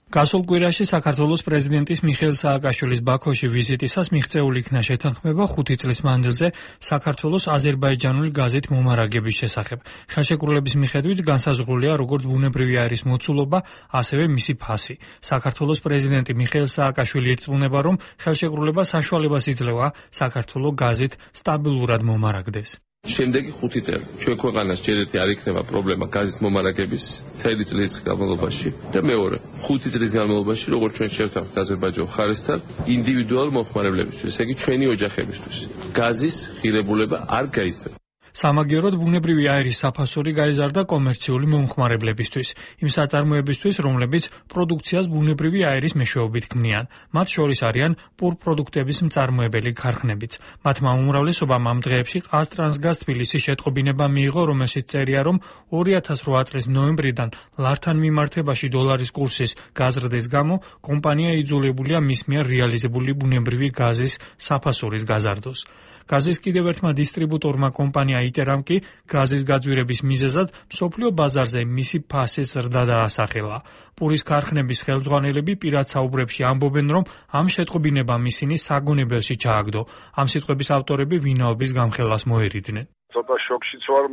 გასულ კვირაში საქართველოს პრეზიდენტის მიხეილ სააკაშვილის ბაქოში ვიზიტისას მიღწეული იქნა შეთანხმება 5 წლის მანძილზე საქართველოს აზერბაიჯანული გაზით მომარაგების შესახებ. ხელშეკრულების მიხედვით განსაზღვრულია როგორც ბუნებრივი აირის მოცულობა, ასევე მისი ფასი. საქართველოს პრეზიდენტი მიხეილ სააკაშვილი ირწმუნება, რომ ხელშეკრულება საშუალებას იძლევა საქართველოს გაზით სტაბილურად მომარაგდეს.
შემდეგი 5 წელი ჩვენ ქვეყანას ჯერ ერთი არ იქნება პრობლემა გაზის მომარაგების მთელი წლის განმავლობაში და მეორე 5 წლის განმავლობაში როგორც ჩვენ შევთავაზეთ აზერბაიჯანის მხარესთან ინდივიდუალურ მომხმარებლებისთვის, ესე იგი ჩვენი ოჯახებისთვის გაზის ღირებულება არ გაიზრდება.
სამაგიეროდ ბუნებრივი აირის საფასური გაიზარდა კომერციული მომხმარებლებისთვის, იმ საწარმოებისთვის, რომლებიც პროდუქციას ბუნებრივი აირის მეშვეობით ქმნიან. მათ შორის არიან პურპროდუქტების მწარმოებელი ქარხნებიც. მათმა უმრავლესობამ ამ დღეებში ყაზტრანსგაზ თბილისის შეტყობინება მიიღო, რომელშიც წერია, რომ 2008 წლის ნოემბრიდან ლართან მიმართებაში დოლარის კურსის გაზრდის გამო კომპანია იძულებულია მის მიერ რეალიზებული ბუნებრივი გაზის საფასურის გაზარდოს. გაზის კიდევ ერთმა დისტრიბუტორმა კომპანია iteram კი გაზის გაძვირების მიზეზად მსოფლიო ბაზარზე მისი ფასის ზრდა დაასახელა. პურის ქარხნების ხელმძღვანელები პირად საუბრებში ამბობენ, რომ ამ შეტყობინებამ ისინი საგონებელში ჩააგდო. ამ სიტყვების ავტორები ვინაობის გამხელას მოერიდნენ.
ცოტა შოქშიც ვარ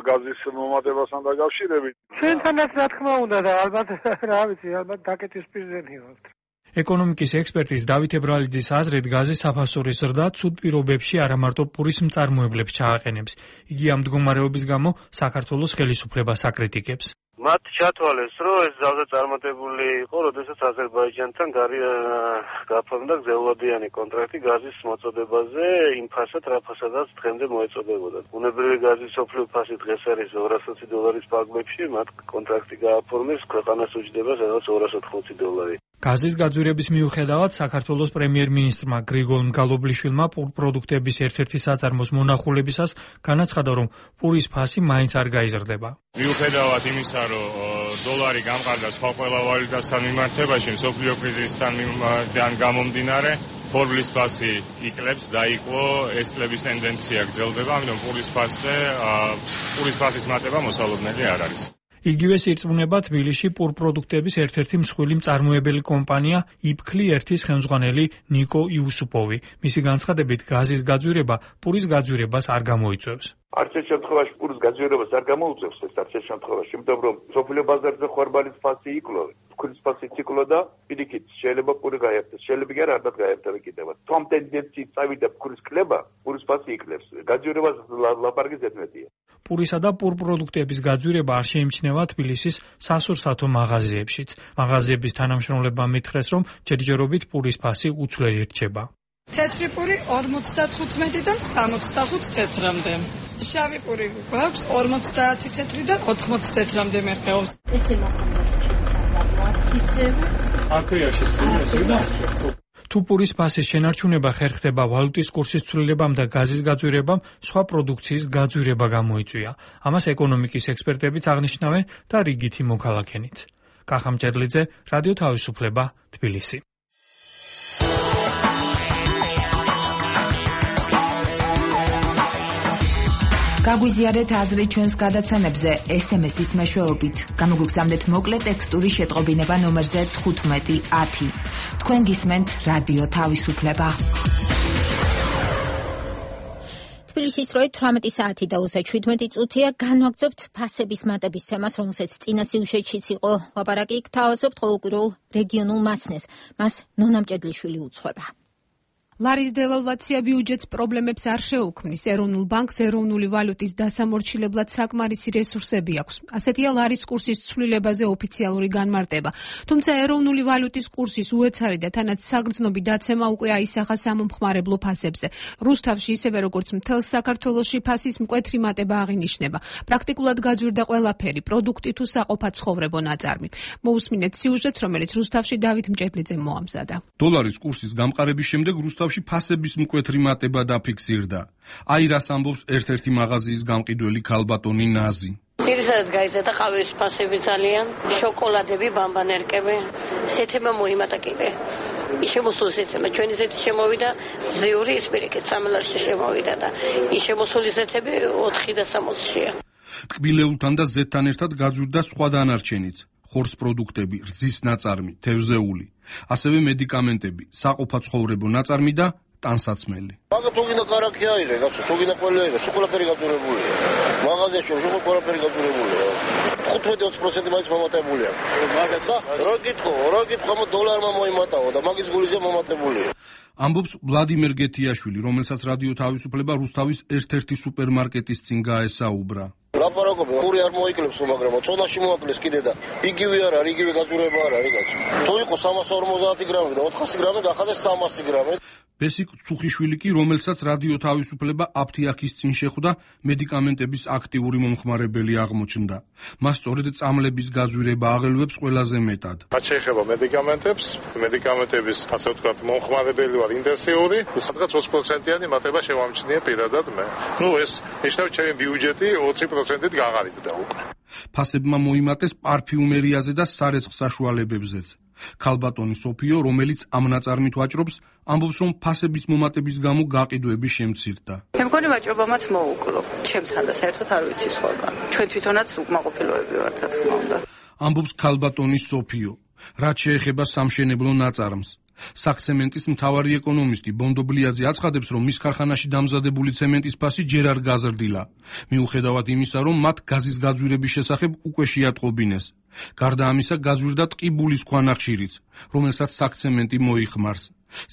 გაზის მომატებასთან დაკავშირებით.
ჩვენთანაც რა თქმა უნდა და ალბათ რა ვიცი, ალბათ დაკეთის პირზენი ვართ.
ეკონომიკის ექსპერტის დავით ებრალიძის აზრით, გაზის საფასურის ზრდა ცუდ პირობებში არა მარტო პურის მწარმოებლებს ჩააყენებს. იგი ამ მდგომარეობის გამო საქართველოს ხელისუფლებას აკრიტიკებს.
მათ ჩათვალეს, რომ ეს ძალზე წარმატებული იყო, როდესაც აზერბაიჯანთან გაფორმდა გზელვადიანი კონტრაქტი გაზის მოწოდებაზე, იმ ფასად, რა ფასადაც დღემდე მოეწოდებოდა. ბუნებრივი გაზის სოფლიო ფასი დღეს არის $220 ფარგლებში, მათ კონტრაქტი გააფორმეს, ქვეყანას უჯდება სადაც $280.
გაზის გაძვირების მიუხედავად საქართველოს პრემიერ-მინისტრმა გრიგოლ მგალობლიშვილმა პროდუქტების ერთ-ერთი საწარმოს მონახულებისას განაცხადა, რომ პურის ფასი მაინც არ გაიზრდება.
მიუხედავად იმისა, რომ დოლარი გამყარდა სხვა ყველა ვალუტასთან მიმართებაში, მსოფლიო კრიზისთან გამომდინარე, ფორბლის ფასი იკლებს, დაიკლო, ეს კლების ტენდენცია გრძელდება, ამიტომ პურის ფასის მატება მოსალოდნელი არ არის. იგივე სირწმუნება თბილისში პურპროდუქტების ერთ-ერთი მსხვილი მწარმოებელი კომპანია იფქლი ერთის ხელმძღვანელი ნიკო იუსუპოვი. მისი განცხადებით, გაზის გაძვირება პურის გაძვირებას არ გამოიწვევს.
არც ერთ შემთხვევაში პურის გაძვირებას არ გამოუწევს ეს არც ერთ შემთხვევაში, იმიტომ რომ სოფლიო ბაზარზე ხორბალის ფასი იკლო, ფქვილის ფასი იკლო და პირიქით შეიძლება პური გაიერთოს, შეიძლება კი არა გაიერთება კიდევაც. თუ ამ ტენდენციით წავიდა ფქვილის კლება, პურის ფასი იკლებს. გაძვირებას ლაპარაკი ზედმეტია. პურისა და პურპროდუქტების გაძვირება არ შეიმჩნევა თბილისის სასურსათო მაღაზიებშიც. მაღაზიების თანამშრომლებმა მითხრეს, რომ ჯერჯერობით პურის ფასი უცვლელი რჩება.
თეთრი პური 55-დან 65 თეთრამდე. შავი პური გვაქვს 50 თეთრიდან 80 თეთრამდე მიყავს. ესე
თუ პურის ფასის შენარჩუნება ხერხდება ვალუტის კურსის ცვლილებამ და გაზის გაძვირებამ, სხვა პროდუქციის გაძვირება გამოიწვია. ამას ეკონომიკის ექსპერტებიც აღნიშნავენ და რიგითი მოქალაქენიც. კახა მჭედლიძე, რადიო თავისუფლება, თბილისი.
გაგვიზიარეთ აზრი ჩვენს გადაცემებზე SMS-ის მეშვეობით. გამოგვიგზავნეთ მოკლე ტექსტური შეტყობინება ნომერზე 1510. თქვენ გისმენთ რადიო თავისუფლება.
თბილისის დროით 18 საათი და 17 წუთია. განვაგრძობთ ფასების მატების თემას, რომელსაც წინა სიუჟეტშიც იყო ლაპარაკი. გთავაზობთ ყოველკვირეულ რეგიონულ მაცნეს. მას ნონა მჭედლიშვილი უძღვება.
ლარის დევალვაცია ბიუჯეტს პრობლემებს არ შეუქმნის. ეროვნულ ბანკს ეროვნული ვალუტის დასამორჩილებლად საკმარისი რესურსები აქვს. ასეთია ლარის კურსის ცვლილებაზე ოფიციალური განმარტება. თუმცა ეროვნული ვალუტის კურსის უეცარი და თანაც საგრძნობი დაცემა უკვე აისახა სამომხმარებლო ფასებზე. რუსთავში ისევე როგორც მთელს საქართველოში ფასის მკვეთრი მატება აღინიშნება. პრაქტიკულად გაძვირდა ყველაფერი, პროდუქტი თუ საყოფაცხოვრებო ნაწარმი. მოусმინეთ სიუჟეტს, რომელიც რუსთავში დავით მჭედლიძემ მოამზადა.
დოლარის კურსის გამყარების შემდეგ რუსთავში ფასების მკვეთრი მატება დაფიქსირდა. აი რას ამბობს ერთ-ერთი მაღაზიის გამყიდველი ქალბატონი ნაზი.
ძირითადად გაიზარდა ყავის ფასები ძალიან, შოკოლადები, ბამბანერკები. სეთემა მოიმატა კიდე. შემოსული სეთემა, ჩვენი ზეთი შემოვიდა, ზიური ის პირიქით 3 ლარში შემოვიდა და ის შემოსული ზეთები 4 და 60-ია.
ტკბილეულთან და ზეთთან ერთად გაძვირდა სხვა დანარჩენიც. ხორცს პროდუქტები, რძის ნაწარმი, თევზეული, ასევე მედიკამენტები, საყოფაცხოვრებო ნაწარმი და ტანსაცმელი.
მაგა თუ გინდა კარაქი აიღე, გასო, თუ გინდა ყველა აიღე, სულ ყველაფერი გადურებულია. მაღაზიაში სულ ყველაფერი გადურებულია. 15-20% მაინც მომატებულია. მაგაცა რა გითხო, დოლარმა მოიმატაო და მაგის გულიზე მომატებულია.
ამბობს ვლადიმერ გეთიაშვილი, რომელსაც რადიო თავისუფლება რუსთავის ერთ-ერთი სუპერმარკეტის წინ გაესაუბრა.
ლაპარაკობენ, პური არ მოიკლებს, მაგრამ წონაში მოაკლეს კიდე და იგივე არ არის, იგივე გაძურება არ არის, კაცო. თუ იყო 350 გრამი და 400 გრამი გახადეს 300 გრამი.
ბესიკ ცუხიშვილი კი, რომელსაც რადიო თავისუფლება აფთიაქის წინ შეხვდა, მედიკამენტების აქტიური მომხმარებელი აღმოჩნდა. მას სწორედ წამლების გაძვირება აღელვებს ყველაზე მეტად.
რაც შეეხება მედიკამენტების, ასე ვთქვათ, მომხმარებელი ვარ ინტენსიური, სადღაც 20%-იანი მატება შევამჩნიე პირადად მე. ეს ნიშნავს ჩემი ბიუჯეტი 20%-ით გაღარიბდა უკვე.
ფასებმა მოიმატეს პარფიუმერიაზე და სარეცხ საშუალებებზეც. ქალბატონი სოფიო, რომელიც ამ ნაწარმით ვაჭრობს, ამბობს, რომ ფასების მომატების გამო გაყიდვები შემცირდა.
მე მგონი ვაჭრობამაც მოუკლო. ჩემთან და საერთოდ არ ვიცი სხვაგან. ჩვენ თვითონაც უკმაყოფილოები ვართ, რა თქმა უნდა.
ამბობს ქალბატონი სოფიო. რაც შეეხება სამშენებლო ნაწარმს. საქცემენტის მთავარი ეკონომისტი ბონდობლიაძე აცხადებს, რომ მის ქარხანაში დამზადებული ცემენტის ფასი ჯერ არ გაზრდილა. მიუხედავად იმისა, რომ მათ გაზის გაძვირების შესახებ უკვე შეატყობინეს. გარდა ამისა, გაზვირდა ტყიბულის ქვანახშირიც, რომელსაც საქცემენტი მოიხმარს.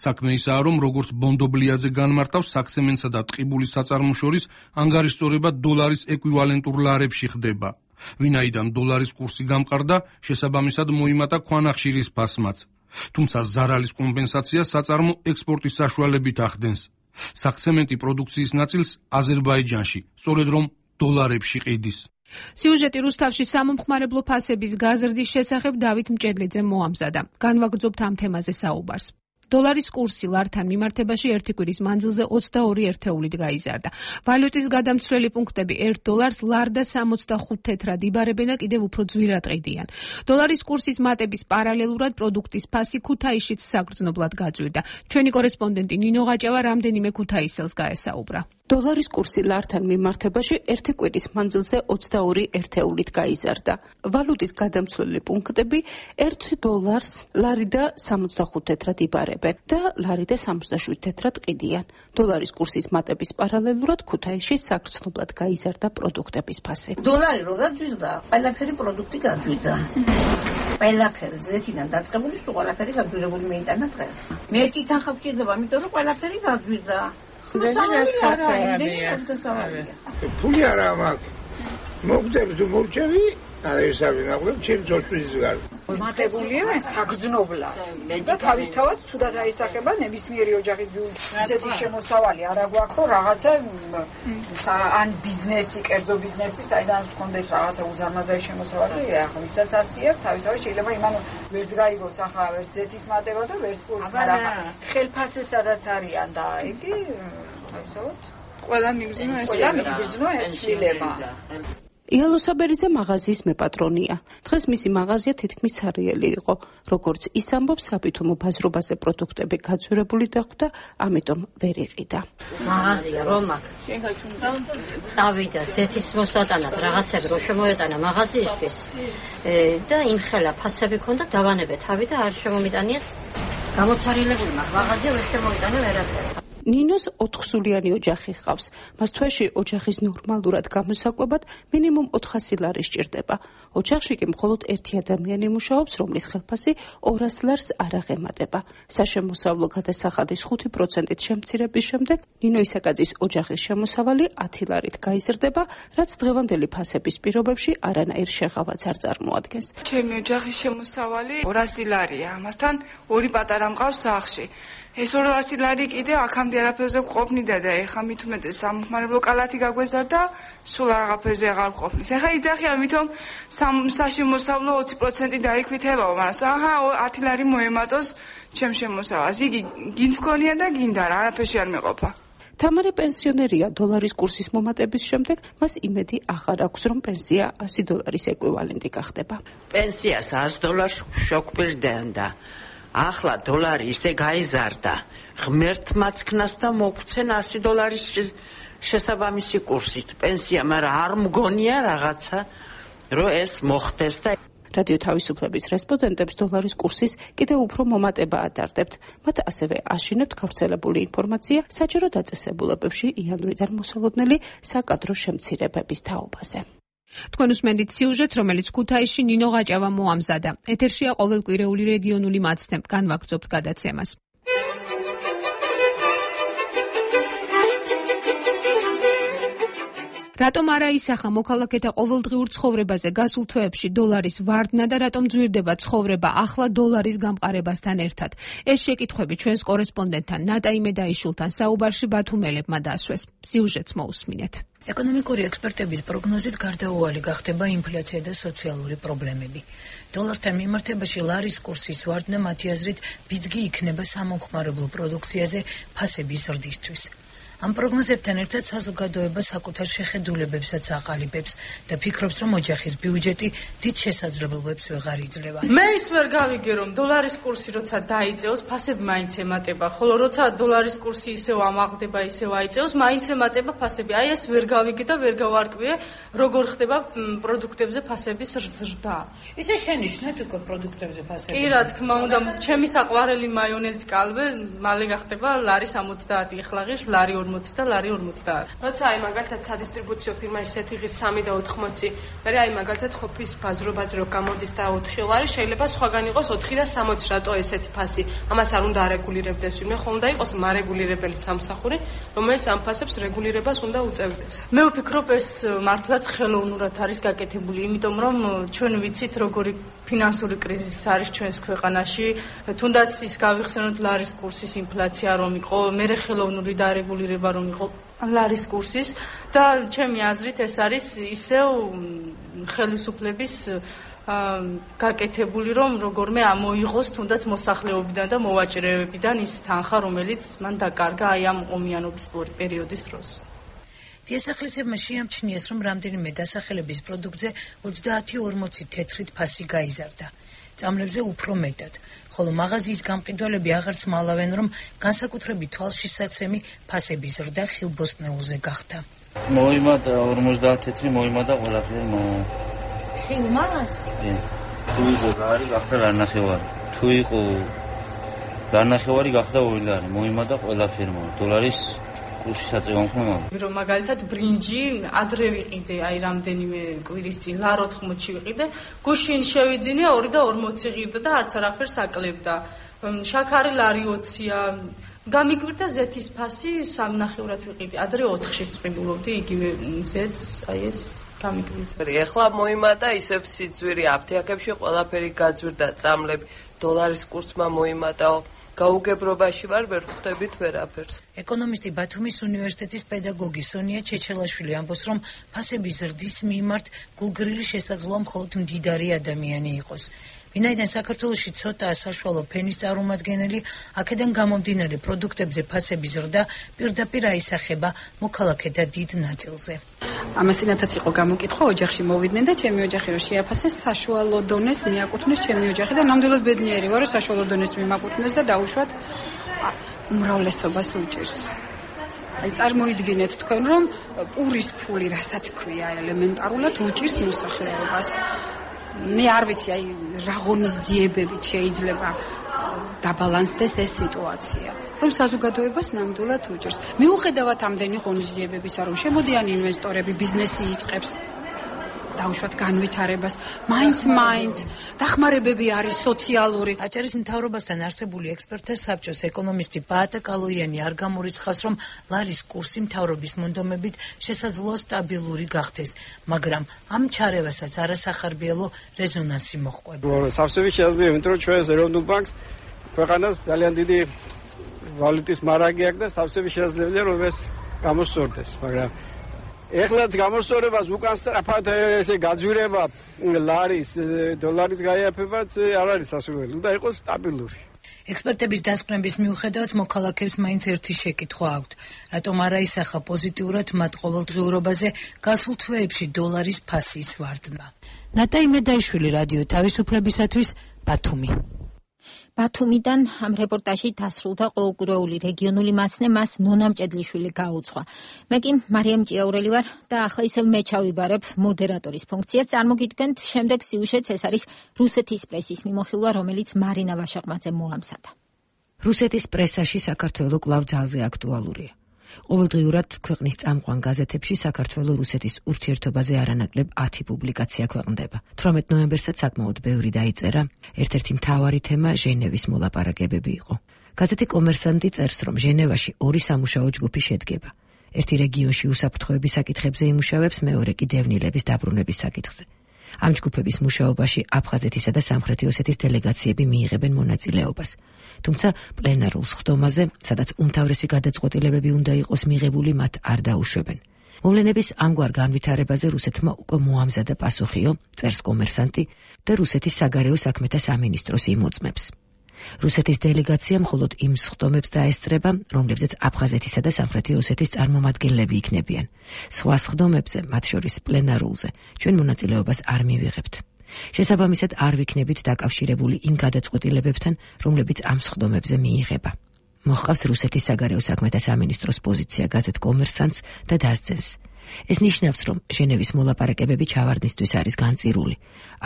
საქმე ისაა, რომ როგორც ბონდობლიაძე განმარტავს, საქცემენტსა და ტყიბულის საწარმოს შორის ანგარიშწორება დოლარის ეკვივალენტურ ლარებში ხდება. ვინაიდან დოლარის კურსი გამყარდა, შესაბამისად მოიმატა ქვანახშირის ფასმაც. თუმცა ზარალის კომპენსაცია საწარმო ექსპორტის საშუალებით ახდენს. საქცემენტი პროდუქციის ნაწილს აზერბაიჯანში, სწორედ რომ დოლარებში ყიდის.
სიუჟეტი რუსთავში სამომხმარებლო ფასების გაზრდის შესახებ დავით მჭედლიძემ მოამზადა. განვაგრძობთ ამ თემაზე საუბარს. დოლარის კურსი ლართან მიმართებაში ერთი კვირის მანძილზე 22 ერთეულით გაიზარდა. ვალუტის გადამცვლელი პუნქტები 1 დოლარს ლარ და 65 თეთრად იბარებენ და კიდევ უფრო ძვირად ყიდიან. დოლარის კურსის მატების პარალელურად პროდუქტის ფასი ქუთაისშიც საგრძნობლად გაძვირდა. ჩვენი კორესპონდენტი ნინო ღაჭავა რამდენიმე ქუთაისელს გაესაუბრა.
დოლარის კურსი ლართან მიმართებაში ერთი კვირის მანძილზე 22 ერთეულით გაიზარდა. ვალუტის გადამცვლელი პუნქტები 1 დოლარს ლარი და 65 თეთრად იბარებენ და ლარი და 67 თეთრად ყიდიან. დოლარის კურსის მატების პარალელურად ქუთაისში საგრძნობლად გაიზარდა პროდუქტების ფასი.
დოლარი რო გაძვირდა, ყველაფერი პროდუქტი გაძვირდა. ყველაფერი ზეთიდან დაწყებული, სულ ყველაფერი გაძვირებული მეიტანა დღეს. მეტი თანხა გვჭირდება, იმიტომ რომ ყველაფერი გაძვირდა.
ფული არა მაქვს. მოგდები თუ მოვჭევი, არა ისავი ნაკლებ, ჩემს ოშვის გარ.
მატებულია საგრძნობლად. და თავისთავად ცუდად აისახება ნებისმიერი ოჯახის ისეთი შემოსავალი არა გვაქვს, რომ რაღაცა ან ბიზნესი, კერძო ბიზნესი, საიდან გქონდეს რაღაცა უზარმაზარი შემოსავალი, ახლა ვისაც ასია, თავისთავად შეიძლება იმან ვერც გაიგოს ახლა ვერც ზეთის მატება და ვერც კურსი, მაგრამ ხელფასი სადაც არიან და იგი თავისთავად
ყველა მიგრძნო ეს შილება.
იალო საბერიძე მაღაზიის მეპატრონია. დღეს მისი მაღაზია თითქმის სარიელი იყო. როგორც ის ამბობს, საბითუმო ბაზრობაზე პროდუქტები გაძვირებული დახვდა, ამიტომ ვერ იყიდა.
მაღაზია რომ აქ წავიდა ზეთის მოსატანად რაღაცები რო შემოეტანა მაღაზიისთვის და იმხელა ფასები ქონდა დავანებე თავი და არ შემომიტანიეს გამოცარილებული მაგ მაღაზია ვერ შემოიტანა ვერაფერი.
ნინოს 4-სულიანი ოჯახი ჰყავს. მას თვეში ოჯახის ნორმალურად გამოსაკვებად მინიმუმ 400 ლარი სჭირდება. ოჯახში კი მხოლოდ ერთი ადამიანი მუშაობს, რომლის ხელფასი 200 ლარს არ აღემატება. საშემოსავლო გადასახადის 5%-ით შემცირების შემდეგ ნინო ისაკაძის ოჯახის შემოსავალი 10 ლარით გაიზრდება, რაც დღევანდელი ფასების პირობებში არანაირ შეღავაც არ წარმოადგენს.
ჩემი ოჯახის შემოსავალი 200 ლარია. ამასთან ორი პატარა მყავს სახლში. ეს 200 ლარი კიდე აქამდე არაფერზე გვყოფნიდა და ეხლა მით უმეტეს სამხმარებლო კალათი გაგვეზარდა, სულ რაღაცებზე აღარ გვყოფნის. ეხლა იძახი ამიტომ საშემოსავლო 20% დაიქვითებაო, მაგრამ 10 ლარი მოემატოს ჩემ შემოსავალს. იგი გინდ მქონია და გინდა რა, არაფერში არ მეყოფა.
თამარე პენსიონერია. დოლარის კურსის მომატების შემდეგ მას იმედი აღარ აქვს, რომ პენსია 100 დოლარის ეკვივალენტი გახდება.
პენსიას 100 დოლარს შოკვირდნენ და ახლა დოლარი ისე გაიზარდა, ღმერთმაც ქნას და მოგცენ 100 დოლარის შესაბამისი კურსით პენსია, მაგრამ არ მგონია რაღაცა, რომ ეს მოხდეს და
რადიო თავისუფლების რესპონდენტებს დოლარის კურსის კიდევ უფრო მომატება ადარდებთ. მათ ასევე აშინებთ გავრცელებული ინფორმაცია საჯარო დაწესებულებებში იანვრიდან მოსალოდნელი საკადრო შემცირებების თაობაზე.
თქვენ უსმენთ სიუჟეტს, რომელიც ქუთაისში ნინო ღაჭავა მოამზადა. ეთერშია ყოველკვირეული რეგიონული მაცდე. განვაგრძობთ გადაცემას. რატომ არა ისახა მოქალაქეთა ყოველდღიურ ცხოვრებაზე გასულ თვეებში დოლარის ვარდნა და რატომ ძვირდება ცხოვრება ახლა დოლარის გამყარებასთან ერთად? ეს შეკითხვები ჩვენს კორესპონდენტთან ნატა იმედაიშვილთან საუბარში ბათუმელებმა დასვეს. სიუჟეტს მოусმინეთ.
ეკონომიკური ექსპერტების პროგნოზით გარდაუვალი გახდება ინფლაცია და სოციალური პრობლემები. დოლართან მიმართებაში ლარის კურსის ვარდნა მათი აზრით ბიძგი იქნება სამომხმარებლო პროდუქციაზე ფასების ზრდისთვის. ამ პროგნოზებთან ერთად საზოგადოება საკუთარ შეხედულებებსაც აყალიბებს და ფიქრობს, რომ ოჯახის ბიუჯეტი დიდ შესაძლებლობებს ვეღარ იძლევა.
მე ის ვერ გავიგე, რომ დოლარის კურსი როცა დაიწევს, ფასები მაინც ემატება, ხოლო როცა დოლარის კურსი ისევ ამაღლდება, ისევ აიწევს, მაინც ემატება ფასები. აი ეს ვერ გავიგე და ვერ გავარკვიე, როგორ ხდება პროდუქტებზე ფასების ზრდა.
ისე შენიშნეთ უკვე პროდუქტებზე ფასები.
კი, რა თქმა უნდა, ჩემი საყვარელი მაიონეზი კალვე მალე გახდება ლარი 70, ეხლა ღირს ლარი 40 და ლარი 50.
როცა აი მაგალითად სადისტრიბუციო ფირმა ისეთი ღირს 3 და 80, მე აი მაგალითად ყოფის ბაზრო გამოდის და 4 ლარი, შეიძლება სხვაგან იყოს 4 და 60, რატო ესეთი ფასი? ამას არ უნდა არეგულირებდეს ვინმე, ხო უნდა იყოს მარეგულირებელი სამსახური, რომელიც ამ ფასებს რეგულირებას უნდა უწევდეს.
მე ვფიქრობ, ეს მართლაც ხელოვნურად არის გაკეთებული, იმიტომ რომ ჩვენ ვიცით როგორი ფინანსური კრიზისი არის ჩვენს ქვეყანაში, თუნდაც ის გავიხსენოთ ლარის კურსის ინფლაცია რომ იყო, მერე ხელოვნური დარეგულირება რომ იყო ლარის კურსის და ჩემი აზრით ეს არის ისევ ხელისუფლების გაკეთებული რომ როგორმე ამოიღოს თუნდაც მოსახლეობიდან და მოვაჭრეებიდან ის თანხა რომელიც მან დაკარგა აი ამ ომიანობის პერიოდის დროს.
დიასახლისებმა შეამჩნიეს, რომ რამდენიმე დასახელების პროდუქტზე 30-40 თეთრით ფასი გაიზარდა. წამლებზე უფრო მეტად, ხოლო მაღაზიის გამყიდველები აღარც მალავენ, რომ განსაკუთრებით თვალშისაცემი ფასების ზრდა ხილბოსტნეულზე გახდა.
მოიმატა 50 თეთრი, მოიმატა ყველაფერი.
ხილმაც?
თუ იყო გარი, გახდა განახევარი. თუ იყო განახევარი, გახდა 2 ლარი. მოიმატა ყველაფერი. დოლარის კურსი საწევამ ხომ?
რომ მაგალითად ბრინჯი ადრე ვიყიდე, აი რამდენიმე კვირის წინ ლარ 80-ში ვიყიდე, გუშინ შევიძინე 2 და 40 ღირდა და არც არაფერს აკლებდა. შაქარი ლარი 20-ია. გამიკვირდა ზეთის ფასი 3.5-ად ვიყიდე. ადრე 4-შიც წვიმულობდი იგივე ზეთს, აი ეს გამიკვირდა.
ეხლა მოიმატა ისევ სიძვირი აფთიაქებში ყველაფერი გაძვირდა, წამლები დოლარის კურსმა მოიმატაო. გაუგებრობაში ვარ, ვერ ხვდებით ვერაფერს.
ეკონომისტი ბათუმის უნივერსიტეტის პედაგოგი სონია ჩეჩელაშვილი ამბობს, რომ ფასების ზრდის მიმართ გულგრილი შესაძლოა მხოლოდ მდიდარი ადამიანი იყოს. ვინაიდან საქართველოში ცოტაა საშუალო ფენის წარმომადგენელი, აქედან გამომდინარე პროდუქტებზე ფასების ზრდა პირდაპირ აისახება მოქალაქეთა დიდ ნაწილზე.
ამასინათაც იყო გამოკითხვა, ოჯახში მოვიდნენ და ჩემი ოჯახი რომ შეაფასეს საშუალო დონეს მიაკუთვნეს ჩემი ოჯახი და ნამდვილად ბედნიერი ვარ, რომ საშუალო დონეს მიმაკუთვნეს და დაუშვათ უმრავლესობას უჭირს. აი წარმოიდგინეთ თქვენ რომ პურის ფული რასაც ქვია ელემენტარულად უჭირს მოსახლეობას. მე არ ვიცი აი რა ღონისძიებებით შეიძლება დაბალანსდეს ეს სიტუაცია, რომ საზოგადოებას ნამდვილად უჭირს. მიუხედავად ამდენი ღონისძიებებისა, რომ შემოდიან ინვესტორები, ბიზნესი იწყებს დაუშვათ განვითარებას, მაინც დახმარებები არის სოციალური.
აჭარის მთავრობასთან არსებული ექსპერტთა საბჭოს ეკონომისტი პაატა კალოიანი არ გამორიცხავს, რომ ლარის კურსი მთავრობის მონდომებით შესაძლოა სტაბილური გახდეს, მაგრამ ამ ჩარევასაც არასახარბიელო რეზონანსი მოჰყვება.
სავსები შეაძლევთ, რომ ჩვენს ეროვნულ ბანკს ქვეყანას ძალიან დიდი ვალუტის მარაგი აქვს და სავსები შეაძლებელია რომ ეს გამოსწორდეს, მაგრამ ეხლაც გამოსწორებას უკან სწრაფად ესე გაძვირება ლარის, დოლარის გაიაფებაც არ არის სასურველი, უნდა იყოს სტაბილური.
ექსპერტების დასკვნების მიუხედავად მოქალაქეებს მაინც ერთი შეკითხვა აქვთ, რატომ არ აისახა პოზიტიურად მათ ყოველდღიურობაზე გასულ თვეებში დოლარის ფასის ვარდნა. ნატა იმედაიშვილი, რადიო თავისუფლებისათვის, ბათუმი.
ბათუმიდან ამ რეპორტაჟი დასრულდა ყოველკვირეული რეგიონული მაცნე მას ნონა მჭედლიშვილი გაუძღვა. მე კი მარიამ ჭიაურელი ვარ და ახლა ისევ მე ჩავიბარებ მოდერატორის ფუნქციას. წარმოგიდგენთ შემდეგ სიუჟეტს, ეს არის რუსეთის პრესის მიმოხილვა, რომელიც მარინა ვაშაყმაძემ მოამზადა.
რუსეთის პრესაში საქართველო კვლავ ძალზე აქტუალურია. ყოველდღიურად ქვეყნის წამყვან გაზეთებში საქართველო-რუსეთის ურთიერთობაზე არანაკლებ 10 პუბლიკაცია ქვეყნდება. 18 ნოემბერსაც საკმაოდ ბევრი დაიწერა. ერთ-ერთი მთავარი თემა ჟენევის მოლაპარაკებები იყო. გაზეთი კომერსანტი წერს, რომ ჟენევაში 2 სამუშაო ჯგუფი შედგება.
ერთი რეგიონში უსაფრთხოების საკითხებზე იმუშავებს, მეორე კი დევნილების დაბრუნების საკითხზე. ამ ჯგუფების მუშაობაში აფხაზეთისა და სამხრეთი ოსეთის დელეგაციები მიიღებენ მონაწილეობას. თუმცა პლენარულ სხდომაზე, სადაც უმთავრესი გადაწყვეტილებები უნდა იყოს მიღებული, მათ არ დაუშვებენ. მოვლენების ამგვარ განვითარებაზე რუსეთმა უკვე მოამზადა პასუხიო, წერს კომერსანტი და რუსეთის საგარეო საქმეთა სამინისტროს იმოწმებს. რუსეთის დელეგაცია მხოლოდ იმ სხდომებს დაესწრება, რომლებზეც აფხაზეთისა და სამხრეთი ოსეთის წარმომადგენლები იქნებიან. სხვა სხდომებზე, მათ შორის პლენარულზე, ჩვენ მონაწილეობას არ მივიღებთ. შესაბამისად, არ ვიქნებით დაკავშირებული იმ გადაწყვეტილებებთან, რომლებიც ამ სხდომებზე მიიღება. მოჰყავს რუსეთის საგარეო საქმეთა სამინისტროს პოზიცია გაზეთ კომერსანტს და დასძენს. ეს ნიშნავს, რომ ჟენევის მოლაპარაკებები ჩავარდნისთვის არის განწირული.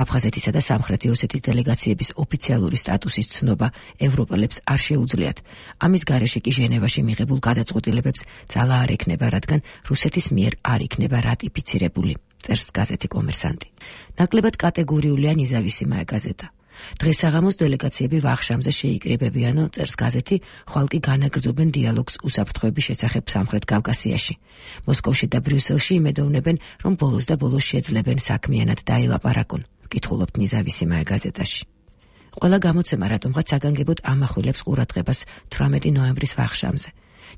აფხაზეთისა და სამხრეთი ოსეთის დელეგაციების ოფიციალური სტატუსის ცნობა ევროპელებს არ შეუძლიათ. ამის გარეშე კი ჟენევაში მიღებულ გადაწყვეტილებებს ძალა არ ექნება, რადგან რუსეთის მიერ არ იქნება რატიფიცირებული, წერს გაზეთი კომერსანტი. ნაკლებად კატეგორიულია ნიზავისიმაია გაზეტა. დღეს საღამოს დელეგაციები ვახშამზე შეიკრიბებიანო, წერს გაზეთი, ხვალ კი განაგრძობენ დიალოგს უსაფრთხოების შესახებ სამხრეთ კავკასიაში. მოსკოვში და ბრიუსელში იმედოვნებენ, რომ ბოლოს და ბოლოს შეძლებენ საქმიანად დაილაპარაკონ, კითხულობთ ნიზავისიმაია გაზეტაში. ყველა გამოცემა რატომღაც საგანგებოდ ამახვილებს ყურადღებას 18 ნოემბრის ვახშამზე.